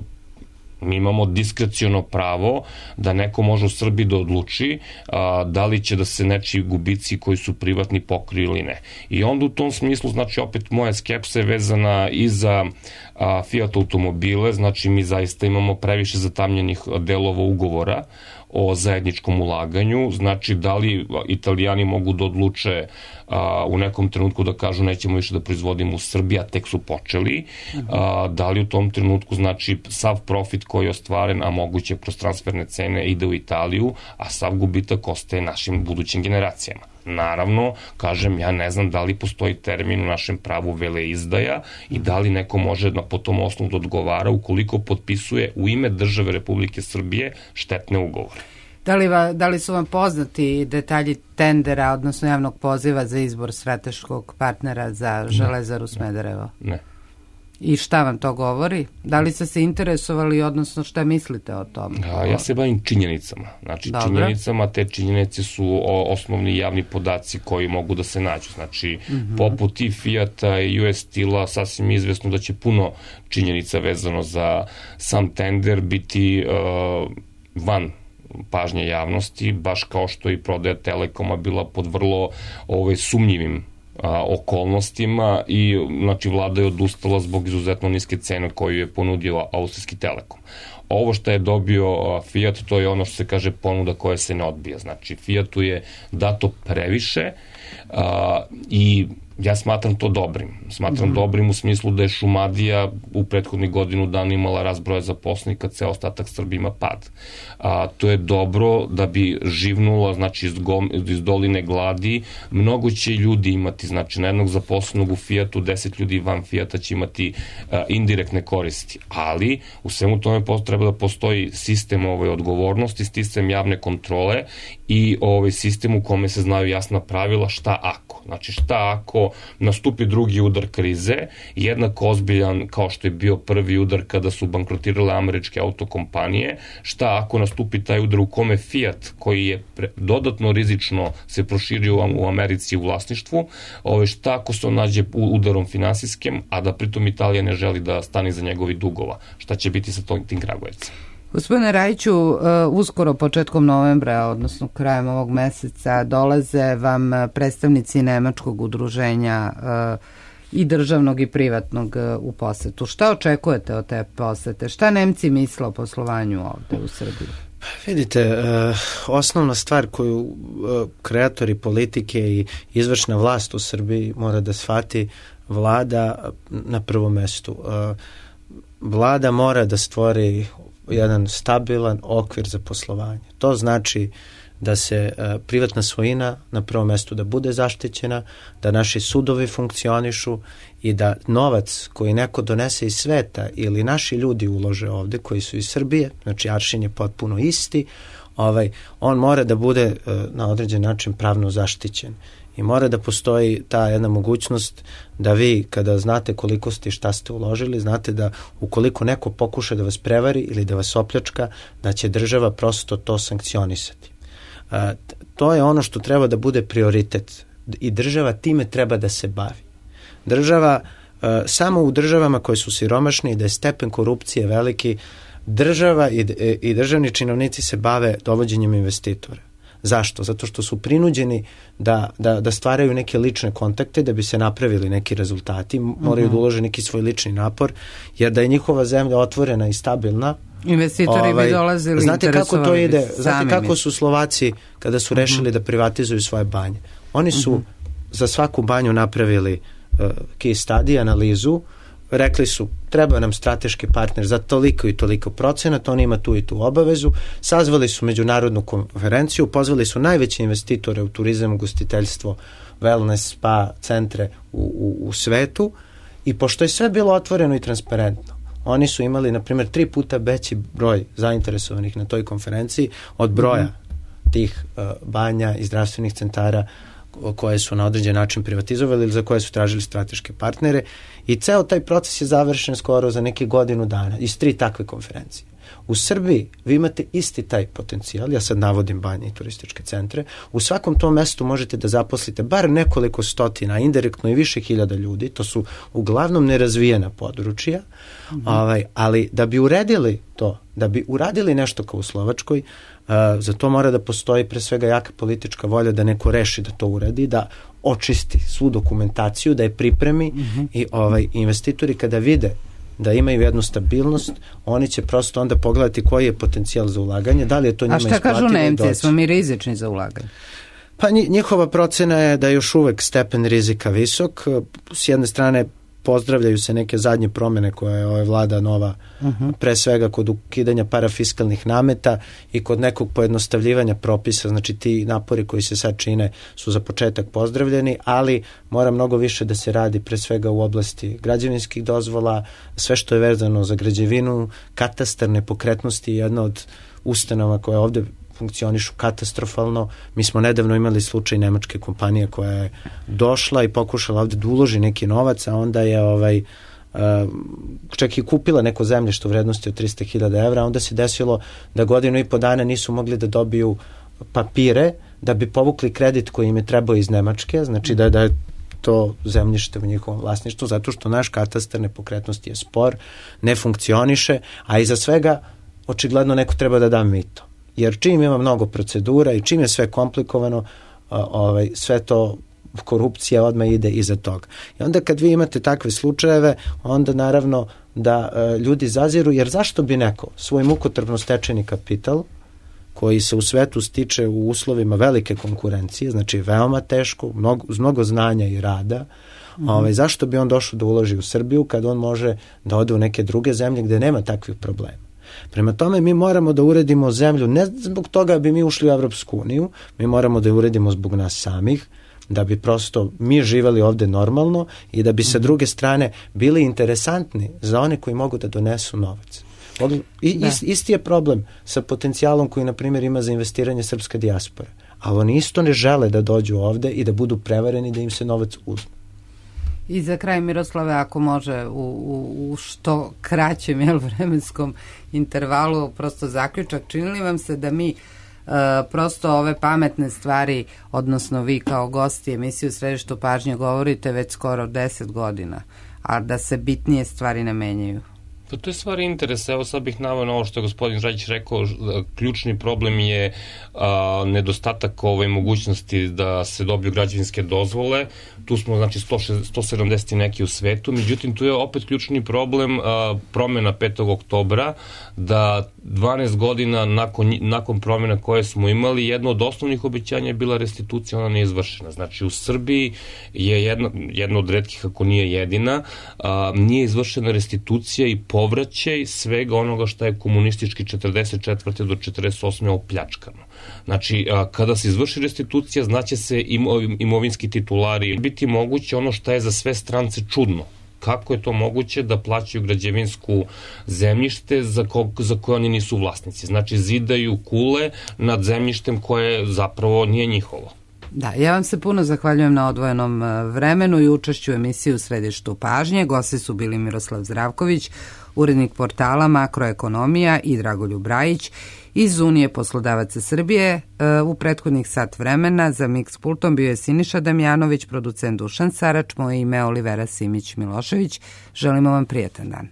mi imamo diskreciono pravo da neko može u Srbiji da odluči a, da li će da se nečiji gubici koji su privatni pokriju ili ne. I onda u tom smislu, znači opet moja skepsa je vezana i za a, Fiat automobile, znači mi zaista imamo previše zatamljenih delova ugovora o zajedničkom ulaganju, znači da li Italijani mogu da odluče a, u nekom trenutku da kažu nećemo više da proizvodimo u Srbiji, a tek su počeli, a, da li u tom trenutku znači sav profit koji je ostvaren, a moguće kroz transferne cene ide u Italiju, a sav gubitak ostaje našim budućim generacijama. Naravno, kažem, ja ne znam da li postoji termin u našem pravu veleizdaja i da li neko može na, po tom osnovu da odgovara ukoliko potpisuje u ime države Republike Srbije štetne ugovore. Da li, va, da li su vam poznati detalji tendera, odnosno javnog poziva za izbor strateškog partnera za Železaru Smederevo? Ne. I šta vam to govori? Da li ste se interesovali, odnosno šta mislite o tom? A, ja se bavim činjenicama. Znači, Dobre. činjenicama, te činjenice su osnovni javni podaci koji mogu da se nađu. Znači, mm-hmm. poput i Fiata i U S Steel-a sasvim izvesno da će puno činjenica vezano za sam tender biti uh, van pažnje javnosti, baš kao što i prodaja Telekoma bila pod vrlo ovaj, sumnjivim a, okolnostima i znači vlada je odustala zbog izuzetno niske cene koju je ponudio Austrijski Telekom. Ovo što je dobio Fiat, to je ono što se kaže ponuda koja se ne odbija. Znači, Fiatu je dato previše a, i ja smatram to dobrim. Smatram mm-hmm. dobrim u smislu da je Šumadija u prethodnih godinu dana imala rast broja zaposlenih, kad se ostatak Srbije ima pad. A, to je dobro da bi živnula, znači iz, gom, iz doline gladi, mnogo će ljudi imati, znači na jednog zaposlenog u Fiatu, deset ljudi van Fiata će imati a, indirektne koristi. Ali u svemu tome treba da postoji sistem ove odgovornosti, sistem javne kontrole i ovaj sistem u kome se znaju jasna pravila šta ako. Znači šta ako nastupi drugi udar krize, jednako ozbiljan kao što je bio prvi udar kada su bankrotirale američke autokompanije, šta ako nastupi taj udar u kome Fiat, koji je pre, dodatno rizično se proširio u Americi u vlasništvu, ovaj, šta ako se on nađe udarom finansijskim, a da pritom Italija ne želi da stane iza njegovi dugova, šta će biti sa tom, tim Kragujevcem? Gospodine Rajiću, uskoro početkom novembra, odnosno krajem ovog meseca, dolaze vam predstavnici Nemačkog udruženja i državnog i privatnog u posetu. Šta očekujete od te posete? Šta Nemci misle o poslovanju ovde u Srbiji? Vidite, osnovna stvar koju kreatori politike i izvršna vlast u Srbiji mora da shvati, vlada na prvom mestu. Vlada mora da stvori jedan stabilan okvir za poslovanje. To znači da se uh, privatna svojina na prvom mestu da bude zaštićena, da naši sudovi funkcionišu i da novac koji neko donese iz sveta ili naši ljudi ulože ovde, koji su iz Srbije, znači aršin je potpuno isti, ovaj, on mora da bude uh, na određen način pravno zaštićen. I mora da postoji ta jedna mogućnost da vi, kada znate koliko ste i šta ste uložili, znate da ukoliko neko pokuša da vas prevari ili da vas opljačka, da će država prosto to sankcionisati. A, to je ono što treba da bude prioritet i država time treba da se bavi. Država, uh, samo u državama koje su siromašne i da je stepen korupcije veliki, država i, i državni činovnici se bave dovođenjem investitora. Zašto? Zato što su prinuđeni da, da, da stvaraju neke lične kontakte da bi se napravili neki rezultati, moraju da ulože neki svoj lični napor, jer da je njihova zemlja otvorena i stabilna, investitori ovaj, bi dolazili, znate kako to ide, znate kako mi. su Slovaci kada su rešili uh-huh. da privatizuju svoje banje. Oni su uh-huh. za svaku banju napravili uh, case study, analizu, rekli su treba nam strateški partner za toliko i toliko procenata, on ima tu i tu obavezu, sazvali su međunarodnu konferenciju, pozvali su najveće investitore u turizam, ugostiteljstvo, wellness, spa centre u, u, u svetu i pošto je sve bilo otvoreno i transparentno, oni su imali, na primjer, tri puta veći broj zainteresovanih na toj konferenciji od broja mm-hmm. tih uh, banja i zdravstvenih centara koje su na određen način privatizovali ili za koje su tražili strateške partnere i ceo taj proces je završen skoro za neke godinu dana iz tri takve konferencije. U Srbiji vi imate isti taj potencijal, ja sad navodim banje i turističke centre, u svakom tom mestu možete da zaposlite bar nekoliko stotina, indirektno i više hiljada ljudi, to su uglavnom nerazvijena područja, mm-hmm. ovaj, ali da bi uredili to, da bi uradili nešto kao u Slovačkoj, Uh, za to mora da postoji pre svega jaka politička volja da neko reši da to uradi, da očisti svu dokumentaciju, da je pripremi mm-hmm. i ovaj, investitori kada vide da imaju jednu stabilnost, oni će prosto onda pogledati koji je potencijal za ulaganje, da li je to njima isplativo. A šta kažu Nemci, smo mi rizični za ulaganje? Pa njihova procena je da je još uvek stepen rizika visok, s jedne strane pozdravljaju se neke zadnje promene koje je ova vlada nova, uh-huh. pre svega kod ukidanja parafiskalnih nameta i kod nekog pojednostavljivanja propisa, znači ti napori koji se sad čine su za početak pozdravljeni, ali mora mnogo više da se radi pre svega u oblasti građevinskih dozvola, sve što je vezano za građevinu, katastar nepokretnosti je jedna od ustanova koja ovde funkcionišu katastrofalno. Mi smo nedavno imali slučaj nemačke kompanije koja je došla i pokušala ovde da uloži neki novac, a onda je ovaj, uh, čak i kupila neko zemljište u vrednosti od trista hiljada evra, onda se desilo da godinu i po dana nisu mogli da dobiju papire da bi povukli kredit koji im je trebao iz Nemačke, znači da, da je to zemljište u njihovom vlasništvu, zato što naš katastar nepokretnosti je spor, ne funkcioniše, a iza svega očigledno neko treba da da mito. Jer čim ima mnogo procedura i čim je sve komplikovano, ovaj, sve to korupcija odmah ide iza toga. I onda kad vi imate takve slučajeve, onda naravno da e, ljudi zaziru, jer zašto bi neko svoj mukotrpno stečeni kapital, koji se u svetu stiče u uslovima velike konkurencije, znači veoma teško, mnogo, uz mnogo znanja i rada, mm-hmm. ovaj, zašto bi on došao da uloži u Srbiju kad on može da ode u neke druge zemlje gde nema takvih problema. Prema tome mi moramo da uredimo zemlju, ne zbog toga bi mi ušli u Evropsku uniju, mi moramo da je uredimo zbog nas samih, da bi prosto mi živeli ovde normalno i da bi sa druge strane bili interesantni za one koji mogu da donesu novac. I, ist, isti je problem sa potencijalom koji, na primjer, ima za investiranje srpska dijaspora. Ali oni isto ne žele da dođu ovde i da budu prevareni da im se novac uzme. I za kraj, Miroslave, ako može u, u, u što kraćem jel, vremenskom intervalu, prosto zaključak, čini li vam se da mi uh, prosto ove pametne stvari, odnosno vi kao gosti emisiju Središtu pažnje govorite već skoro deset godina, a da se bitnije stvari ne menjaju? Pa to je stvar interesa. Evo sad bih naveo na ovo što je gospodin Žajić rekao, ključni problem je a, nedostatak ove mogućnosti da se dobiju građevinske dozvole. Tu smo znači sto sedamdeset neki u svetu, međutim tu je opet ključni problem a, promjena petog oktobra, da dvanaest godina nakon, nakon promjena koje smo imali, jedno od osnovnih obećanja je bila restitucija, ona nije izvršena. Znači u Srbiji je jedna, jedna od retkih, ako nije jedina, a, nije izvršena restitucija i povraćaj svega onoga što je komunistički četrdeset četvrte do četrdeset osme opljačkano. Znači, a, kada se izvrši restitucija, znaće se imo, imovinski titulari. Biti moguće ono što je za sve strance čudno. Kako je to moguće da plaćaju građevinsku zemljište za, ko, za koje oni nisu vlasnici? Znači, zidaju kule nad zemljištem koje zapravo nije njihovo. Da, ja vam se puno zahvaljujem na odvojenom vremenu i učešću u emisiji U središtu pažnje. Gosti su bili Miroslav Zdravković, urednik portala Makroekonomija, i Dragoljub Rajić iz Unije poslodavaca Srbije. U prethodnih sat vremena za Mix pultom bio je Siniša Damjanović, producent Dušan Sarač, moje ime Olivera Simić Milošević. Želimo vam prijatan dan.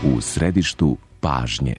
U središtu pažnje.